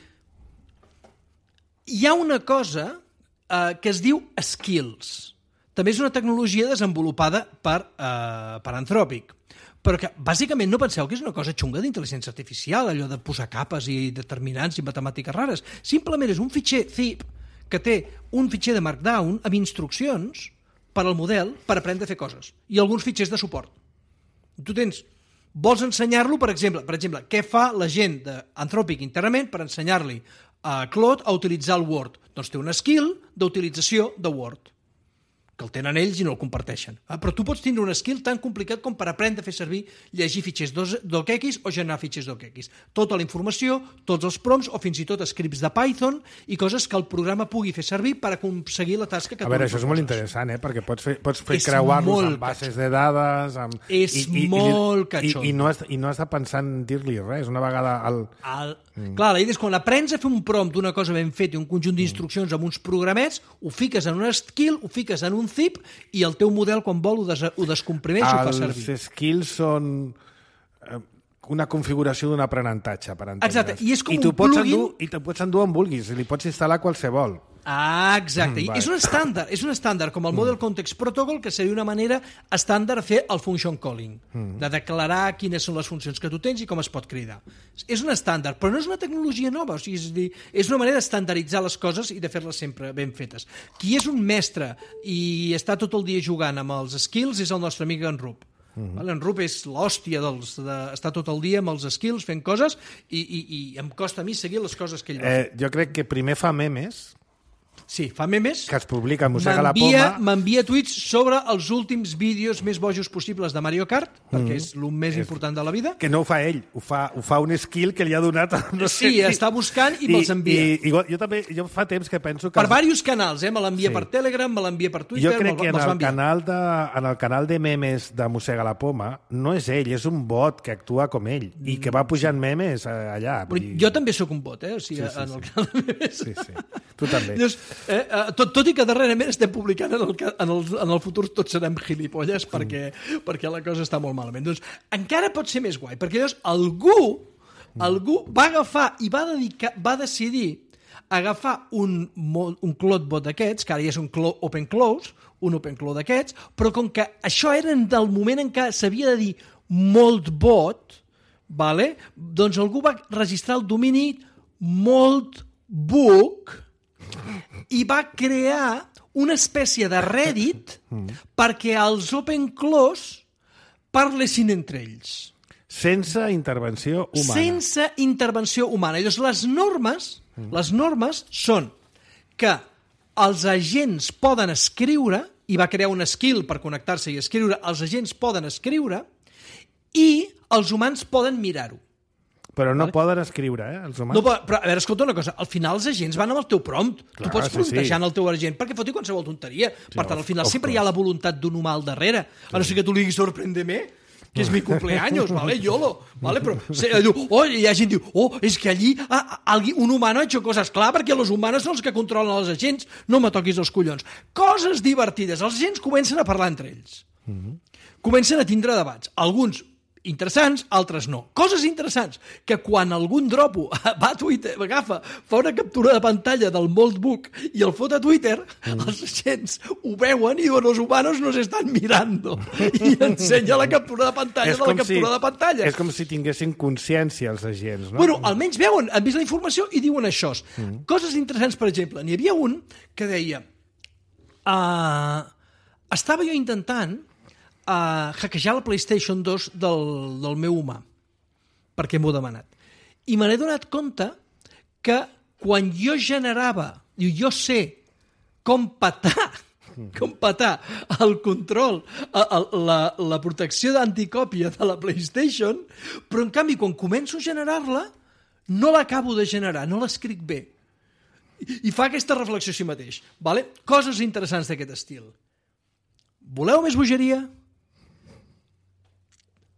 hi ha una cosa eh, que es diu Skills. També és una tecnologia desenvolupada per, eh, per Anthropic. però que bàsicament no penseu que és una cosa xunga d'intel·ligència artificial, allò de posar capes i determinants i matemàtiques rares. Simplement és un fitxer zip que té un fitxer de Markdown amb instruccions per al model per aprendre a fer coses i alguns fitxers de suport. Tu tens, vols ensenyar-lo, per exemple, per exemple, què fa la gent d'Anthropic internament per ensenyar-li a Claude a utilitzar el Word? Doncs té una skill d'utilització de Word, que el tenen ells i no el comparteixen. Ah, però tu pots tindre un skill tan complicat com per aprendre a fer servir, llegir fitxers docx o generar fitxers docx. Tota la informació, tots els prompts o fins i tot scripts de Python i coses que el programa pugui fer servir per aconseguir la tasca que tu A veure, li això és molt proposes. interessant, eh? Perquè pots fer, pots fer És creuar-los molt amb bases de dades... Amb... És molt catxondo. I, i, no has, I no has de pensar en dir-li res. Una vegada... El... El... Mm. Clar, la idea és quan aprens a fer un prompt d'una cosa ben feta i un conjunt d'instruccions amb uns programets, ho fiques en una skill, ho fiques en un zip i el teu model, quan vol, ho, des ho descomprimeix i ho fa servir. Els skills són una configuració d'un aprenentatge, per entendre's. Exacte, i és com I un pots plugin... endur, I te'n pots endur on vulguis, i li pots instal·lar qualsevol. Ah, exacte. Mm, I és un estàndard, és un estàndard com el Model Context Protocol, que seria una manera estàndard de fer el function calling, mm. de declarar quines són les funcions que tu tens i com es pot cridar. És un estàndard, però no és una tecnologia nova, o sigui, és, dir, és una manera d'estandarditzar les coses i de fer-les sempre ben fetes. Qui és un mestre i està tot el dia jugant amb els skills és el nostre amic en Rup. Mm-hmm. Vale? En Rup és l'hòstia dels, de, està tot el dia amb els skills fent coses i, i, i em costa a mi seguir les coses que ell va eh, jo crec que primer fa memes. Sí, fa memes. Que es publica a Mossega la Poma. M'envia tuits sobre els últims vídeos més bojos possibles de Mario Kart, perquè mm. és el més és... important de la vida. Que no ho fa ell, ho fa, ho fa un skill que li ha donat... No sé, sí, està buscant i, i me'ls envia. I, i, jo també, jo fa temps que penso que... Per diversos canals, eh? Me l'envia sí. per Telegram, me l'envia per Twitter... Jo crec que en el, canal de, en el canal de memes de Mossega la Poma no és ell, és un bot que actua com ell i que va pujant memes allà. I... Jo també sóc un bot, eh? O sigui, sí, sí, en el sí. canal de memes... Sí, sí. Tu també. Llavors, eh, eh, tot, tot i que darrerament estem publicant en el, en el, en el futur tots serem gilipolles perquè, mm. perquè la cosa està molt malament. Doncs encara pot ser més guai, perquè llavors algú, mm. algú va agafar i va, dedicar, va decidir agafar un, un CloudBot d'aquests, que ara ja és un open close, un open close d'aquests, però com que això era del moment en què s'havia de dir molt bot, vale? Doncs algú va registrar el domini moltbook i va crear una espècie de Reddit perquè els open close parlessin entre ells. Sense intervenció humana. Sense intervenció humana. I doncs les normes, les normes són que els agents poden escriure, i va crear un skill per connectar-se i escriure, els agents poden escriure i els humans poden mirar-ho. Però no vale? Poden escriure, eh, els humans. No, però, a veure, escolta una cosa, al final els agents van amb el teu prompt. Clar, tu pots sí, promptejant sí. el teu agent perquè foti qualsevol tonteria. Sí, per tant, al final of sempre course. hi ha la voluntat d'un humà al darrere. Sí. A no ser que tu li diguis sorprèndeme, que és mi cumpleaños, vale, YOLO. Vale? Però se, diu, oh, hi ha gent que diu, oh, és que allí ah, alguien, un humano ha hecho cosas. Clar, perquè els humanos són els que controlen els agents. No me toquis els collons. Coses divertides. Els agents comencen a parlar entre ells. Mm-hmm. Comencen a tindre debats. Alguns interessants, altres no. Coses interessants, que quan algun dropo va a Twitter, agafa, fa una captura de pantalla del Moltbook i el fot a Twitter, mm. els agents ho veuen i diuen, los humanos nos están mirando. I ensenya la captura de pantalla és de la captura si, de pantalla. És com si tinguessin consciència els agents, no? Bueno, almenys veuen, han vist la informació i diuen això. Mm. Coses interessants, per exemple, n'hi havia un que deia uh, estava jo intentant a hackejar la PlayStation dos del, del meu humà, perquè m'ho ha demanat. I me n'he donat compte que quan jo generava, diu, jo sé com petar, com petar el control, el, la, la protecció d'anticòpia de la PlayStation, però en canvi quan començo a generar-la no l'acabo de generar, no l'escric bé. I, I fa aquesta reflexió a si mateix. Vale? Coses interessants d'aquest estil. Voleu més bogeria?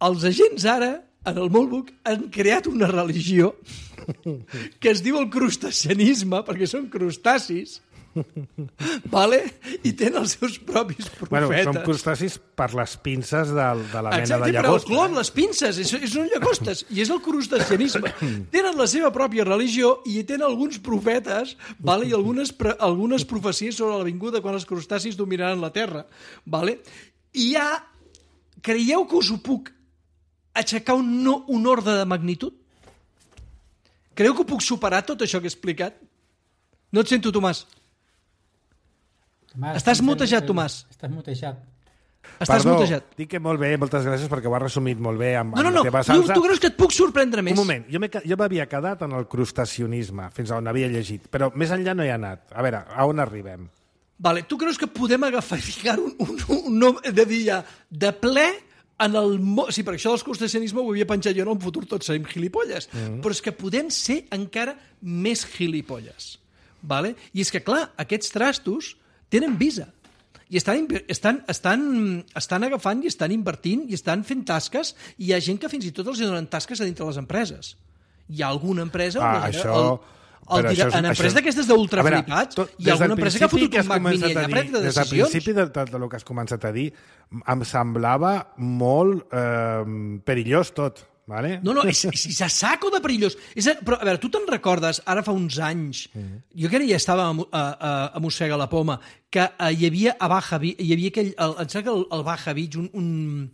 Els agents ara, en el Moltbook, han creat una religió que es diu el crustacianisme, perquè són crustacis, vale? I tenen els seus propis profetes. Bueno, són crustacis per les pinces de, de la mena Exacte, de llagosta. Però el clon, les pinces, és, és un llagostes, i és el crustacianisme. Tenen la seva pròpia religió i tenen alguns profetes, vale? I algunes, algunes profecies sobre la vinguda quan els crustacis dominaran la Terra. Vale? I ja, creieu que us ho puc aixecar un, no, un ordre de magnitud? Creu que puc superar tot això que he explicat? No et sento, Tomàs. Tomàs Estàs el- mutejat, el- Tomàs. Estàs mutejat. Estàs Perdó, mutejat. dic que molt bé, moltes gràcies perquè ho has resumit molt bé amb, No, no, amb no, la teva tu, salsa. tu creus que et puc sorprendre més? Un moment, jo m'he ca- jo m'havia quedat en el crustacionisme, fins on havia llegit, però més enllà no hi ha anat. A veure, a on arribem? Vale, tu creus que podem agafar i ficar un, un, un nom de dir ja de ple en el... Mo... Sí, per això del crustacionisme ho havia penjat jo en el futur tots serem gilipolles. Mm. Però és que podem ser encara més gilipolles. Vale? I és que, clar, aquests trastos tenen visa. I estan, inver- estan, estan, estan agafant i estan invertint i estan fent tasques i hi ha gent que fins i tot els donen tasques a dintre les empreses. Hi ha alguna empresa... Ah, on la- això... el, el, però el, això és- en empreses això- d'aquestes d'ultraflipats, A veure, tot- hi ha des del alguna empresa que ha principi fotut has un Mac Mini començat allà a a prendre dir- Des del decisions. principi de tot el que has començat a dir, em semblava molt eh, perillós tot. Vale? No, no, és, és a saco de perillós. És a, però, a veure, tu te'n recordes, ara fa uns anys, mm. jo que ja estava a, a, a, a Mossega la Poma, que uh, hi havia a Baja Beach, hi havia aquell, el, em sembla que el, el Baja Beach, un, un,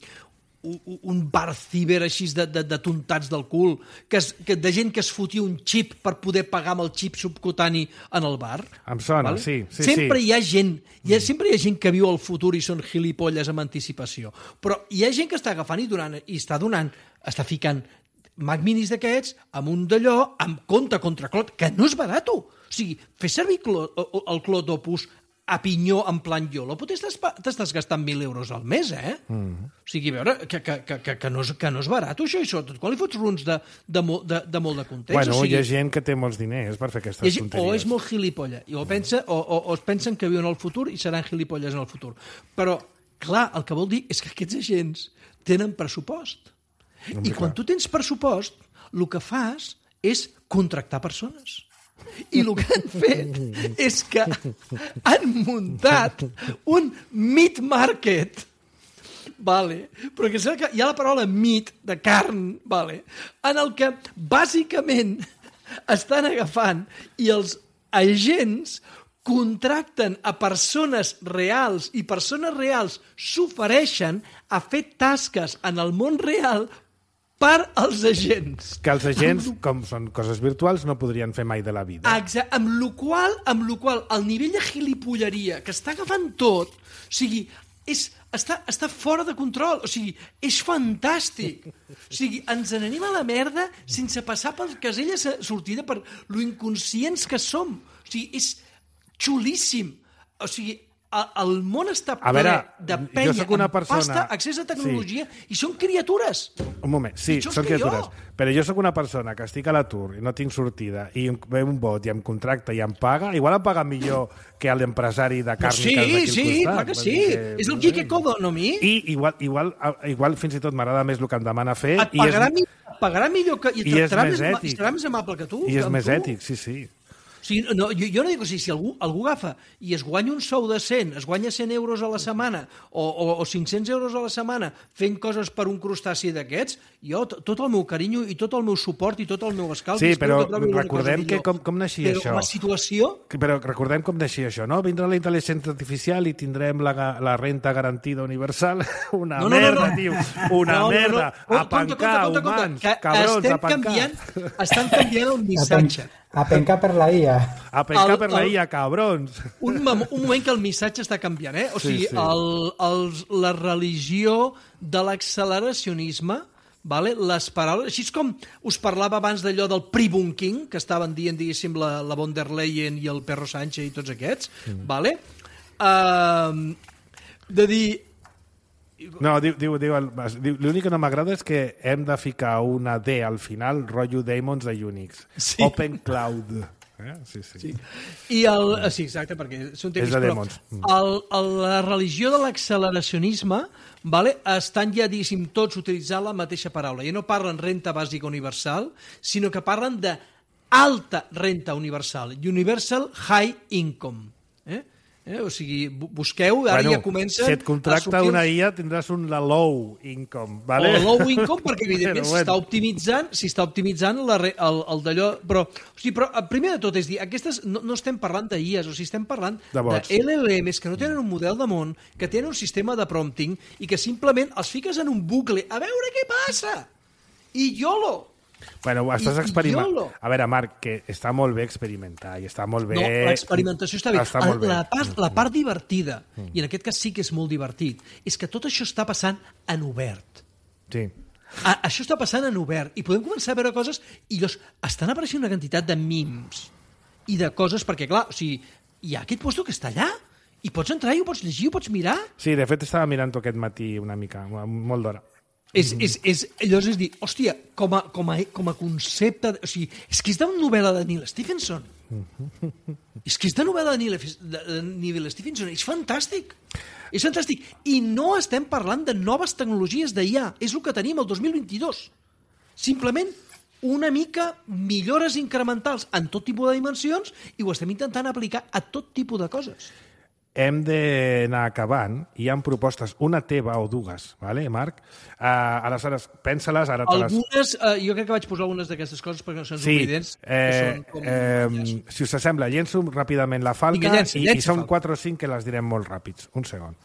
un, un bar ciber així de, de, de tontats del cul, que, es, que de gent que es fotia un xip per poder pagar amb el xip subcutani en el bar. Em sona, vale? sí, sí, sempre sí. hi ha gent, hi ha, sempre hi ha gent que viu al futur i són gilipolles amb anticipació, però hi ha gent que està agafant i, donant, i està donant, està ficant Mac Minis d'aquests amb un d'allò, amb compte contra clot, que no és barat. O sigui, fer servir clot, el clot Opus a pinyó en plan YOLO, però t'estàs, t'estàs gastant mil euros al mes, eh? Mm. O sigui, a veure, que, que, que, que, no és, que no és barat, això, i sobretot quan li fots runs de, de, mo, de, de molt de context. Bueno, o sigui, hi ha gent que té molts diners per fer aquestes gent, tonteries. o és molt gilipolla, i o, pensa, o, o, o es pensen que viuen al futur i seran gilipolles en el futur. Però, clar, el que vol dir és que aquests agents tenen pressupost. No, I quan tu tens pressupost, el que fas és contractar persones. I el que han fet és que han muntat un meat market, vale, però que que hi ha la paraula meat, de carn, vale, en el que bàsicament estan agafant i els agents contracten a persones reals i persones reals s'ofereixen a fer tasques en el món real per als agents. Que els agents, com són coses virtuals, no podrien fer mai de la vida. Exacte, amb lo qual, amb lo qual el nivell de gilipolleria que està agafant tot, o sigui, és, està, està fora de control, o sigui, és fantàstic. O sigui, ens n'anem a la merda sense passar pel casell de sortida per lo inconscients que som. O sigui, és xulíssim. O sigui, el món està ple veure, de jo penya sóc una amb persona- pasta, accés a tecnologia, sí. I són criatures. Un moment, sí, Pitjors són que criatures. jo. Però jo sóc una persona que estic a l'atur i no tinc sortida i em ve un bot i em contracta i em paga, igual em paga millor que l'empresari de càrniques Sí, d'aquí al sí, costat. clar que Vull sí. dir que- És el geek economy. I igual, igual, igual fins i tot m'agrada més el que em demana fer Et i és, pagarà, mi, et pagarà millor que, i, i és tractarà més més, ètic. i serà més amable que tu. i és amb més tu. ètic, sí, sí. O sigui, no, jo, jo no dic, o sigui, si algú, algú agafa i es guanya un sou de cent, es guanya cent euros a la setmana o, o, o cinc-cents euros a la setmana fent coses per un crustaci d'aquests, jo t- tot el meu carinyo i tot el meu suport i tot el meu escalf... Sí, i espero però que trobi alguna recordem cosa que millor. com, com naixia Però això. la situació... Però recordem com naixia això, no? Vindrà la intel·ligència artificial i tindrem la, ga- la renta garantida universal. Una No, no, no, merda, no. tio. Una No, no, no. merda. Compte, A pencar, compte, compte, humans, que cabrons, estem a pencar. canviant, estan canviant el missatge. A pencar per la I A. A pencar El- per la el- I A, cabrons. Un, mom- un moment que el missatge està canviant, eh? O Sí, sigui, sí. el, els, la religió de l'acceleracionisme, vale? Les paraules... Així és com us parlava abans d'allò del pre-bunking, que estaven dient, diguéssim, la, la von der Leyen i el Perro Sánchez i tots aquests, mm. vale? Uh, de dir... No, diu, diu, diu, el- diu l'únic que no m'agrada és que hem de ficar una D al final, rotllo Daemons de Unix. Sí. Open Cloud. Eh? Sí, sí. Sí. I el, sí, exacte, perquè són temes, És de però demons. el, el, la religió de l'acceleracionisme, vale, estan ja, diguéssim, tots utilitzant la mateixa paraula. Ja no parlen renta bàsica universal, sinó que parlen de alta renta universal, universal high income. Eh? Eh? O sigui, bu- busqueu, ara Bueno, ja comencen si et contracta a sortir una els- I A tindràs un la low income, vale? o low income, perquè evidentment Però s'està bueno. optimitzant, s'està optimitzant la, re- el, el d'allò, però, o sigui, però eh, primer de tot és dir, aquestes no, no estem parlant d'I As, o sigui, estem parlant De de, bots. L L Ms que no tenen un model de món, que tenen un sistema de prompting i que simplement els fiques en un bucle a veure què passa. i YOLO. Bueno, estàs I- experimentant. YOLO. A veure, Marc, que està molt bé experimentar i està molt bé... No, l'experimentació està bé. Està molt bé. La part, la part divertida, i en aquest cas sí que és molt divertit, és que tot això està passant en obert. Sí. A, això està passant en obert i podem començar a veure coses i llavors estan apareixent una quantitat de memes i de coses, perquè clar, o sigui, hi ha aquest puesto que està allà i pots entrar i ho pots llegir, ho pots mirar. Sí, de fet estava mirant-ho aquest matí una mica, molt d'hora. És, és, és, llavors és dir, hòstia, com a, com a, com a concepte... O sigui, és que és de novel·la de Neil Stephenson. És que és de novel·la de Neil, de, de Neil Stephenson. És fantàstic. És fantàstic. I no estem parlant de noves tecnologies d'I A. És el que tenim el dos mil vint-i-dos. Simplement una mica millores incrementals en tot tipus de dimensions i ho estem intentant aplicar a tot tipus de coses. Hem d'anar acabant. Hi ha propostes, una teva o dues, vale, Marc? Uh, aleshores, pensa-les, ara te les... Algunes, uh, jo crec que vaig posar algunes d'aquestes coses perquè no se'ns Sí, oblidents. eh, com... eh, si us sembla, llenço ràpidament la falca. Vinga, llença, i, llença, i són falca. quatre o cinc que les direm molt ràpids. Un segon.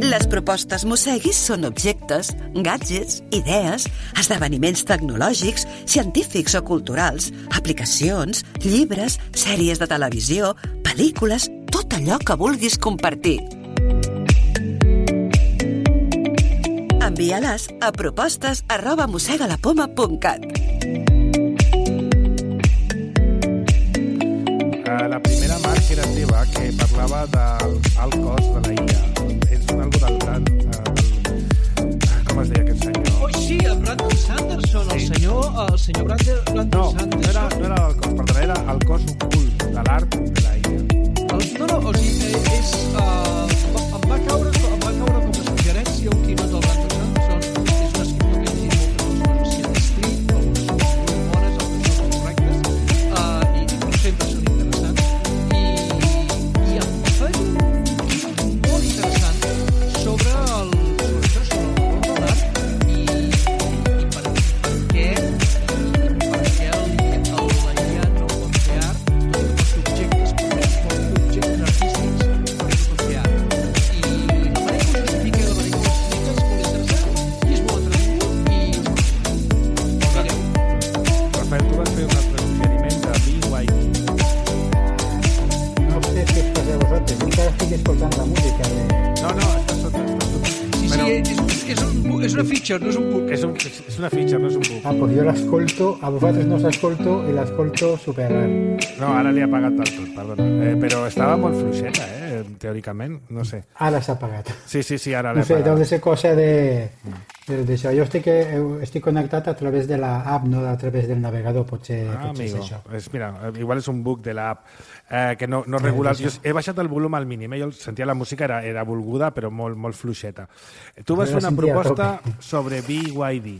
Les propostes Mosseguis són objectes, gadgets, idees, esdeveniments tecnològics, científics o culturals, aplicacions, llibres, sèries de televisió, pel·lícules, tot allò que vulguis compartir. Envia-les a propostes arroba mossegalapoma punt cat. Uh, la primera, Marc, era teva, que parlava del alt cost de la I A. És un algo del gran... Uh, com es deia aquest senyor? Oh, sí, el Brandon Sanderson, el Sí. senyor, el senyor Brandon, Brandon No, Sanderson. no era, no era el cost, perdona, era el cost ocult de l'art de la I A. El, no, no, o sigui, eh, és... Uh, em, va caure, em va caure com a suggerència un quinot del Brandon Sanderson. És un escriptor que ha llegit moltes coses de escrit, algunes són molt bones, altres són correctes, uh, i, i sempre són interessants. I, i em fa un quinot molt interessant sobre el, sobre això, sobre el valor de l'art i, i per, per què per què el, el, la I A no pot fer art, tot i que pot fer objectes, pot fer objectes artístics, però no pot fer art. I la manera que ho justifica i la manera que ho explica és molt interessant i és molt entretingut i mireu. Rafael, tu vas fer un altre suggeriment de B Y D. No sé si os pasa a vosotros. Yo encara estic escoltant la música de... No, no, està sota. Està sota. Sí, sí, Bueno, és, un, és, un, és una feature, no és un book. és, un, és, és una fitxa, no és un book. Ah, pues jo l'escolto, a vosaltres no s'escolto i l'escolto super... No, ara li ha pagat del tot, perdona. Eh, però estava molt fluixeta, eh, teòricament, no sé. Ara s'ha apagat. Sí, sí, sí, ara No l'he sé, deu pagat. de ser cosa de, de, d'això. Jo estic, eh, estic connectat a través de la app, no a través del navegador, potser, Ah, potser és amigo, això. és, mira, igual és un bug de l'app eh, que no, no regula... és Jo això. he baixat el volum al mínim, eh? Jo sentia la música, era, era volguda, però molt, molt fluixeta. Tu vas Jo fer la una sentia a proposta tope. sobre B Y D.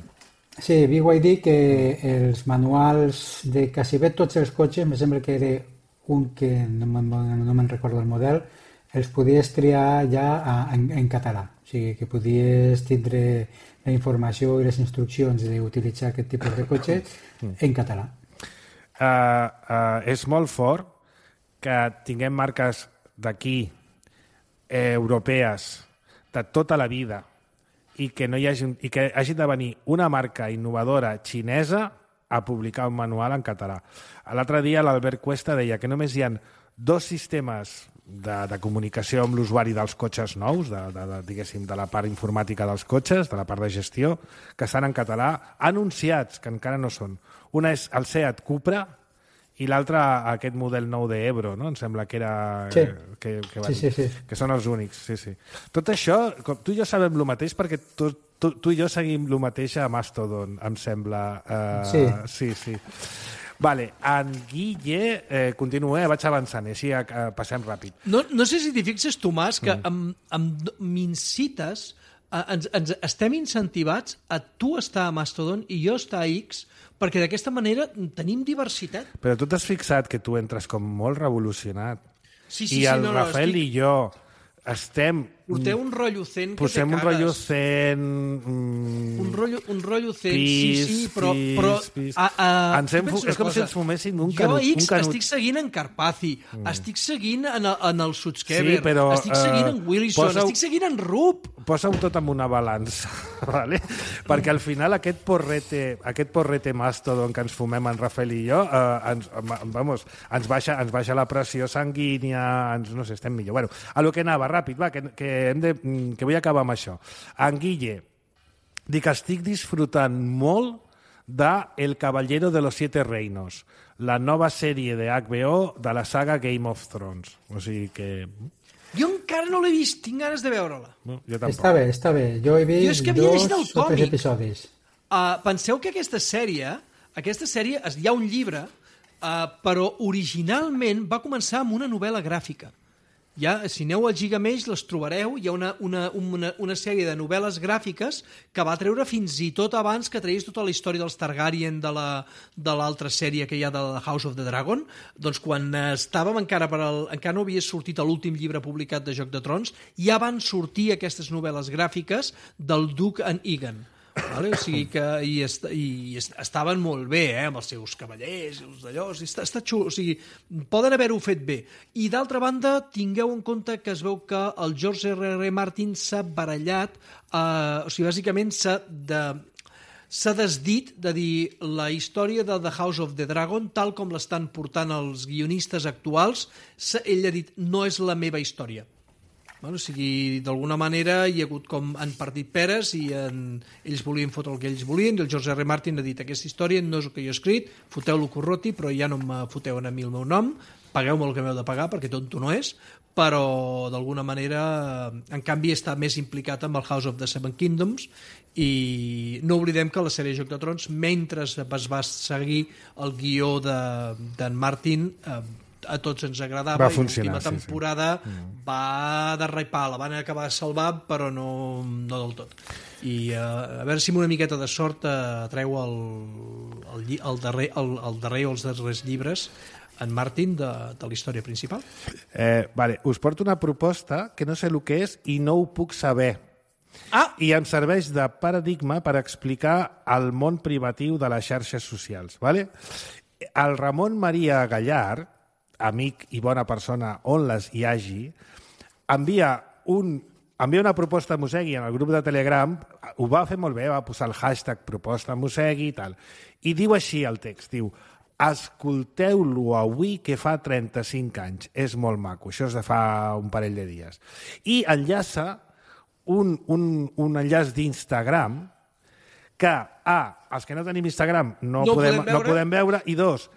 Sí, B Y D, que els manuals de quasi bé tots els cotxes, em sembla que era un que no me'n no me'n recordo el model, els podies triar ja a, en, en català. O sigui, que podies tindre la informació i les instruccions d'utilitzar aquest tipus de cotxes en català. Uh, uh, és molt fort que tinguem marques d'aquí, eh, europees, de tota la vida, i que, no hi hagi, i que hagi de venir una marca innovadora xinesa a publicar un manual en català. L'altre dia l'Albert Cuesta deia que només hi ha dos sistemes de, de comunicació amb l'usuari dels cotxes nous, de, de, de, diguéssim, de la part informàtica dels cotxes, de la part de gestió, que estan en català, anunciats, que encara no són. Una és el Seat Cupra i l'altra aquest model nou de Ebro, no? Em sembla que era... Sí. Que, que, Sí, sí, sí. que són els únics, sí, sí. Tot això, com tu i jo sabem el mateix perquè tu, tu, tu i jo seguim el mateix a Mastodon, em sembla. Uh, Sí. Sí, sí. Vale, en Guille, eh, continua, eh, vaig avançant, i així eh, passem ràpid. No, no sé si t'hi fixes, Tomàs, que mm. m'incites, eh, ens, ens estem incentivats a tu estar a Mastodon i jo estar a X, perquè d'aquesta manera tenim diversitat. Però tu t'has fixat que tu entres com molt revolucionat. Sí, sí, I sí, el no, no, Rafael estic... i jo estem... Porteu un rotllo zen que Posem te un cagues. rotllo zen... Mm, Un rotllo, un rotllo zen, pis, sí, sí, però... pis, però pis. A, a, Ens hem, penso és com una si cosa. ens fumessin un Jo canut. X un canut. estic seguint en Carpathy, mm. estic seguint en, el, en el Sutskever, Sí, però, estic seguint eh, en Willison, posa-ho- estic seguint en Rupp. Posa-ho tot en una balança, ¿vale? Perquè al final aquest porrete, aquest porrete mastodon que ens fumem en Rafael i jo, eh, ens, vamos, ens, baixa, ens baixa la pressió sanguínia, ens, no sé, estem millor. Bueno, a lo que anava, ràpid, va, que, que, hem de, que vull acabar amb això. En Guille, dic que estic disfrutant molt de El Caballero de los Siete Reinos, la nova sèrie de H B O de la saga Game of Thrones. O sigui que... Jo encara no l'he vist, tinc ganes de veure-la. No, jo tampoc. Està bé, està bé. Jo he Jo és vist que havia llegit el dos o tres còmic. episodis. Uh, penseu que aquesta sèrie, aquesta sèrie, es- hi ha un llibre, uh, però originalment va començar amb una novel·la gràfica. Ja, si aneu al Gigamesh les trobareu, hi ha una, una, una, una sèrie de novel·les gràfiques que va treure fins i tot abans que tragués tota la història dels Targaryen de la- de l'altra sèrie que hi ha de la House of the Dragon. Doncs quan estàvem encara per al, encara no havia sortit l'últim llibre publicat de Joc de Trons, ja van sortir aquestes novel·les gràfiques del Duke and Egan. Vale? O sigui que i, est i est estaven molt bé, eh? Amb els seus cavallers i els d'allò, o sigui, està, està xulo, o sigui, poden haver-ho fet bé. I d'altra banda, tingueu en compte que es veu que el George R R. Martin s'ha barallat, eh, o sigui, bàsicament s'ha de s'ha desdit de dir la història de The House of the Dragon, tal com l'estan portant els guionistes actuals, ell ha dit, no és la meva història. Bueno, o sigui, d'alguna manera hi ha hagut com han partit peres i en... ells volien fotre el que ells volien i el George R. Martin ha dit aquesta història no és el que jo he escrit, foteu-lo corroti però ja no me foteu a mi el meu nom, pagueu-me el que m'heu de pagar perquè tonto no és, però d'alguna manera en canvi està més implicat amb el House of the Seven Kingdoms i no oblidem que la sèrie Joc de Trons mentre es va seguir el guió d'en de, Martin eh, a tots ens agradava va i funcionar, l'última temporada sí, sí. va derrapar, la van acabar salvant però no, no del tot i uh, a veure si amb una miqueta de sort uh, treu el, el, el, darrer, el, el darrer o els darrers llibres en Martin de, de la història principal. Eh, vale, us porto una proposta que no sé el que és i no ho puc saber. Ah! I em serveix de paradigma per explicar el món privatiu de les xarxes socials. Vale? El Ramon Maria Gallar, amic i bona persona on les hi hagi, envia, un, envia una proposta a Mosegui en el grup de Telegram, ho va fer molt bé, va posar el hashtag proposta Mosegui i tal, i diu així el text, diu escolteu-lo avui que fa trenta-cinc anys, és molt maco, això és de fa un parell de dies. I enllaça un, un, un enllaç d'Instagram que, A, els que no tenim Instagram no, no, podem, podem veure. no podem veure, i dos,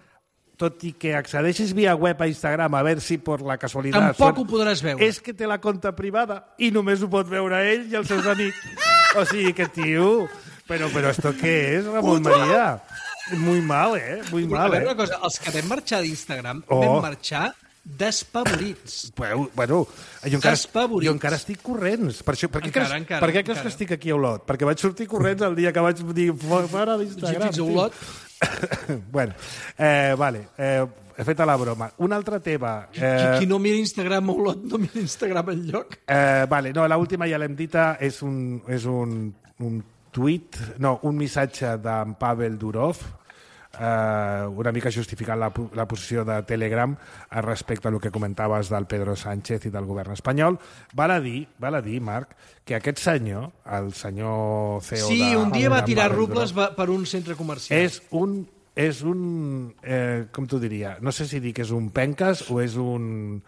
tot i que accedeixis via web a Instagram a veure si per la casualitat... Tampoc ho podràs veure. És que té la compte privada i només ho pot veure ell i els seus amics. O sigui que, tio, però, però esto què és, Ramon Maria? Muy mal, eh? Muy mal, a veure eh? una cosa, els que vam marxar d'Instagram Oh. vam marxar despavorits. Bueno, bueno jo, encara, Despavorits. jo encara estic corrents. Per, això, per què Encara, creus, encara, per què creus encara. que estic aquí a Olot? Perquè vaig sortir corrents el dia que vaig dir fora d'Instagram. Fins a Olot. Bueno, eh, vale, eh, he fet la broma. Una altra teva... Qui, Eh, qui no mira Instagram a Olot no mira Instagram enlloc. eh, vale, no, l'última ja l'hem dita, és un, és un, un tuit, no, un missatge d'en Pavel Durov, eh, una mica justificant la, la posició de Telegram respecte a lo que comentaves del Pedro Sánchez i del govern espanyol. Val a dir, val a dir, Marc, que aquest senyor, el senyor C E O Sí, de... un dia va de tirar Pavel rubles Durov, va- per un centre comercial. és un, és un eh, com t'ho diria, no sé si dir que és un penques o és un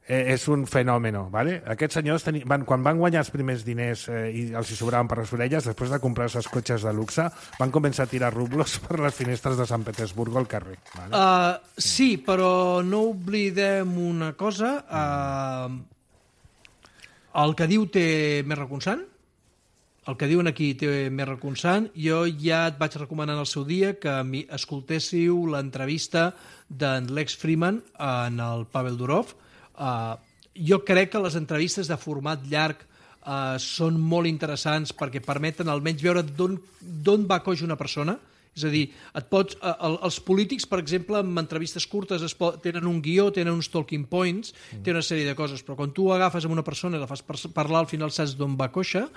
eh, és un fenòmeno, ¿vale? Aquests senyors teni, van, quan van guanyar els primers diners eh, i els hi sobraven per les orelles, després de comprar-se els cotxes de luxe, van començar a tirar rublos per les finestres de Sant Petersburg al carrer. ¿Vale? Uh, sí, però no oblidem una cosa. Uh, el que diu té més reconsant. El que diuen aquí té més reconsant. Jo ja et vaig recomanar en el seu dia que mi escoltéssiu l'entrevista d'en Lex Freeman en el Pavel Durov. Uh, jo crec que les entrevistes de format llarg uh, són molt interessants perquè permeten almenys veure d'on va coix una persona És a dir, et pots, el, els polítics, per exemple, en entrevistes curtes es pot, tenen un guió, tenen uns talking points, mm. tenen una sèrie de coses, però quan tu agafes amb una persona i la fas parlar, al final saps d'on va coixa,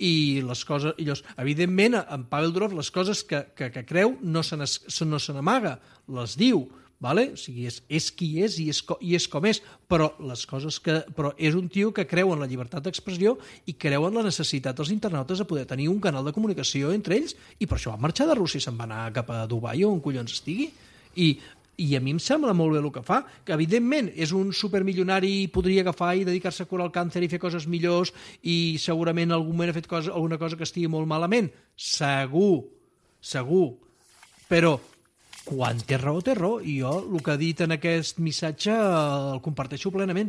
i les coses... I llavors, evidentment, en Pavel Durov les coses que, que, que creu no se no se n'amaga, les diu, vale? O sigui, és, és qui és i és, i és com és, però les coses que... Però és un tio que creu en la llibertat d'expressió i creu en la necessitat dels internautes de poder tenir un canal de comunicació entre ells, i per això va marxar de Rússia i se'n va anar cap a Dubai o on collons estigui. I, i a mi em sembla molt bé el que fa, que evidentment és un supermilionari i podria agafar i dedicar-se a curar el càncer i fer coses millors, i segurament en algun moment ha fet cosa, alguna cosa que estigui molt malament. Segur, segur. Però quan té raó, té raó, i jo el que ha dit en aquest missatge el comparteixo plenament.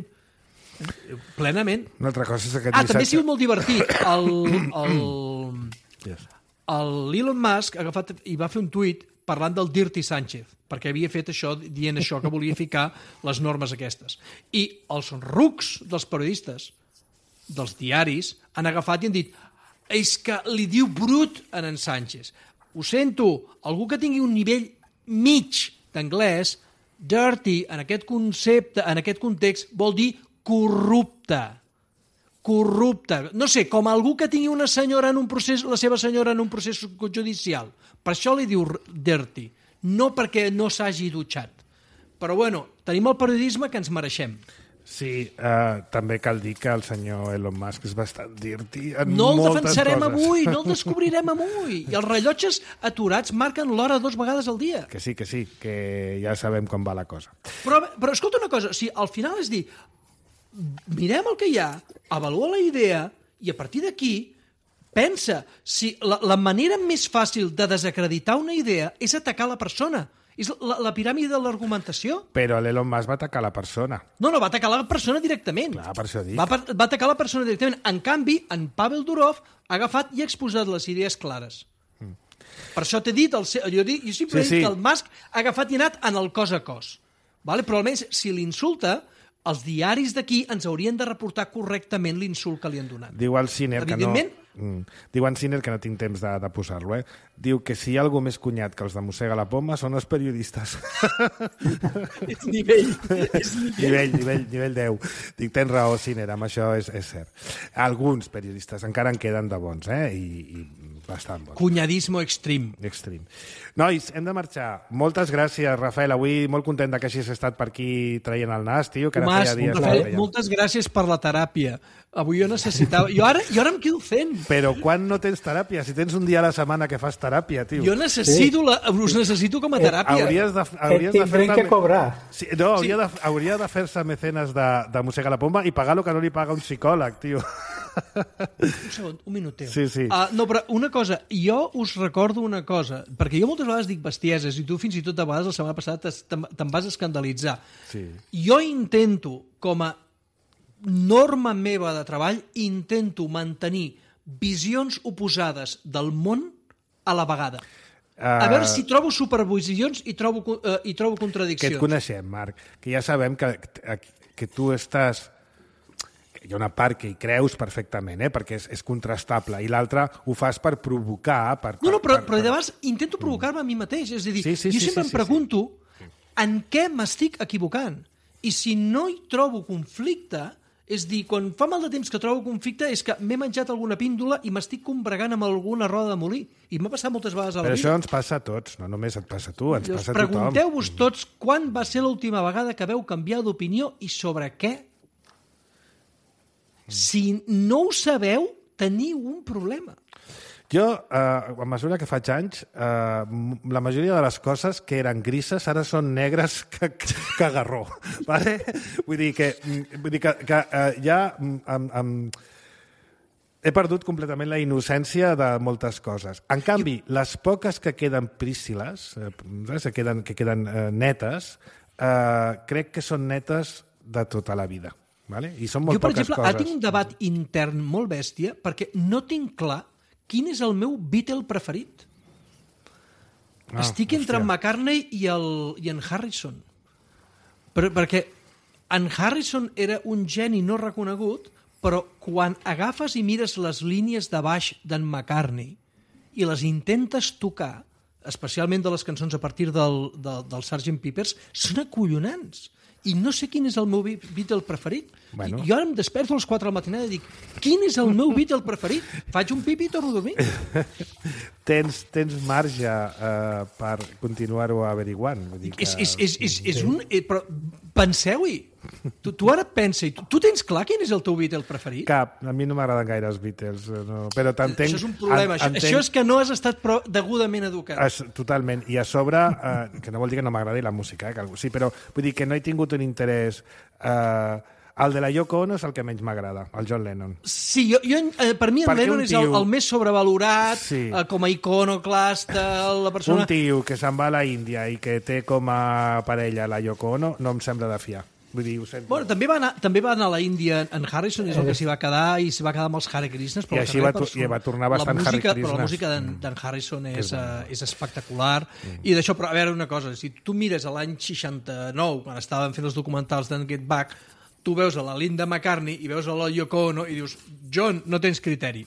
Plenament. Una altra cosa és aquest ah, missatge... també ha sigut molt divertit. El, el, yes. el Elon Musk ha agafat i va fer un tuit parlant del Dirty Sánchez, perquè havia fet això, dient això, que volia ficar les normes aquestes. I els rucs dels periodistes, dels diaris, han agafat i han dit és que li diu brut a en Sánchez. Ho sento, algú que tingui un nivell mig d'anglès, dirty, en aquest concepte, en aquest context, vol dir corrupte. Corrupte. No sé, com algú que tingui una senyora en un procés, la seva senyora en un procés judicial. Per això li diu dirty, no perquè no s'hagi dutxat. Però bueno, tenim el periodisme que ens mereixem. Sí, uh, també cal dir que el senyor Elon Musk és bastant dirty en no el moltes defensarem coses. avui, no el descobrirem avui. I els rellotges aturats marquen l'hora dues vegades al dia. Que sí, que sí, que ja sabem com va la cosa. Però, però escolta una cosa, o sigui, al final és dir, mirem el que hi ha, avalua la idea i a partir d'aquí pensa si la, la manera més fàcil de desacreditar una idea és atacar la persona. És la, la piràmide de l'argumentació. Però l'Elon Musk va atacar la persona. No, no, va atacar la persona directament. Clar, per això dic. Va, va atacar la persona directament. En canvi, en Pavel Durov ha agafat i ha exposat les idees clares. Mm. Per això t'he dit, el, jo, dic, jo sempre sí, he dit sí. que el Musk ha agafat i ha anat en el cos a cos. Vale? Però almenys, si l'insulta, els diaris d'aquí ens haurien de reportar correctament l'insult que li han donat. Diu el Sinner que no... Mm. Diu en Sinner, que no tinc temps de, de posar-lo, eh? Diu que si hi ha algú més cunyat que els de Mossega la Poma són els periodistes. És nivell. És nivell. nivell, nivell, nivell deu. Dic, tens raó, Sinner, amb això és, és cert. Alguns periodistes encara en queden de bons, eh? I, i bastant bons. Cunyadismo extrem. Extrem. Nois, hem de marxar. Moltes gràcies, Rafael. Avui molt content que hagis estat per aquí traient el nas, tio, que ara Tomàs, feia dies Rafael, que moltes gràcies per la teràpia. Avui jo necessitava... Jo ara, jo ara em quedo fent. Però quan no tens teràpia? Si tens un dia a la setmana que fas teràpia, tio. Jo necessito, sí. la, us necessito com a teràpia. Hauries de, hauries de fer que cobrar. Sí, no, hauria, sí. de, hauria de fer-se mecenes de, de Mossega la Pomba i pagar el que no li paga un psicòleg, tio. Un segon, un minuteu. Sí, sí. Uh, no, però una cosa, jo us recordo una cosa, perquè jo moltes vegades dic bestieses i tu fins i tot a vegades la setmana passada te'n vas escandalitzar. Sí. Jo intento, com a norma meva de treball, intento mantenir visions oposades del món a la vegada. Uh, a veure si trobo supervisions i trobo, uh, i trobo contradiccions. Que et coneixem, Marc, que ja sabem que, que tu estàs... Hi ha una part que hi creus perfectament, eh? Perquè és, és contrastable, i l'altra ho fas per provocar... Per, no, no, però, per, per, però de vegades intento provocar-me a mi mateix. És a dir, sí, sí, jo sí, sempre sí, em pregunto sí, sí. en què m'estic equivocant. I si no hi trobo conflicte, és dir, quan fa mal de temps que trobo conflicte és que m'he menjat alguna píndola i m'estic combregant amb alguna roda de molí. I m'ha passat moltes vegades a la Però vida. això ens passa a tots, no només et passa a tu, ens Llavors, passa a tothom. pregunteu-vos tots quan va ser l'última vegada que veu canviar d'opinió i sobre què. Si no ho sabeu, teniu un problema. Jo, eh, a mesura que faig anys, eh, la majoria de les coses que eren grises ara són negres que, que garró. Vale? Vull dir que, vull dir que, que eh, ja em, em, he perdut completament la innocència de moltes coses. En canvi, les poques que queden prístiles, eh, que queden, que queden eh, netes, eh, crec que són netes de tota la vida. Vale? I són molt jo, per poques exemple, coses. ara tinc un debat intern molt bèstia perquè no tinc clar quin és el meu Beatle preferit. Ah, Estic entre hòstia. en McCartney i, el, i en Harrison. Per, perquè en Harrison era un geni no reconegut, però quan agafes i mires les línies de baix d'en McCartney i les intentes tocar, especialment de les cançons a partir del, del, del sergent Pepper's, són acollonants. I no sé quin és el meu Beatle preferit. Bueno. I jo ara em desperto a les quatre de la matinada i dic, quin és el meu Beatle preferit? Faig un pipi i torno a dormir. tens, tens marge uh, per continuar-ho averiguant. Vull dir que... És, és, és, és, és un... Eh, però penseu-hi. Tu, tu ara pensa, tu, tu tens clar quin és el teu Beatle preferit? Cap, a mi no m'agraden gaire els Beatles, no. Però t'entenc... Això és un problema, en, entenc... això és que no has estat prou degudament educat. Es, totalment, i a sobre, eh, que no vol dir que no m'agradi la música, eh, que, sí, però vull dir que no he tingut un interès... Eh, el de la Yoko Ono és el que menys m'agrada, el John Lennon. Sí, jo, jo, eh, per mi en Perquè Lennon tio... és el, el més sobrevalorat, sí. eh, com a iconoclasta, la persona... Un tio que se'n va a la Índia i que té com a parella la Yoko Ono no em sembla de fiar. Vull dir, ho sento. Bueno, també va anar, també va anar a la Índia en Harrison, és el que s'hi va quedar, i s'hi va quedar amb els Hare Krishnas. I així va, tu, i va tornar bastant música, Hare Krishnas. Però la música d'en mm. Harrison és, uh, és espectacular. Mm. I d'això, però a veure una cosa, si tu mires a l'any seixanta-nou, quan estaven fent els documentals d'en Get Back, tu veus a la Linda McCartney i veus a la Yoko Ono i dius, John, no tens criteri.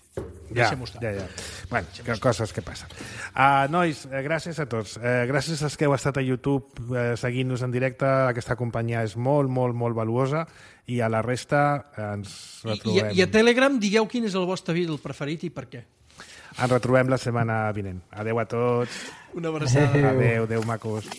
Ja, ja, ja. Bueno, que, coses que passen. Uh, nois, eh, gràcies a tots. Eh, gràcies als que heu estat a YouTube eh, seguint-nos en directe. Aquesta companyia és molt, molt, molt valuosa i a la resta eh, ens retrobem. I, I a Telegram digueu quin és el vostre Beatle preferit i per què. Ens retrobem la setmana vinent. Adeu a tots. Una abraçada. Adeu, adeu, macos.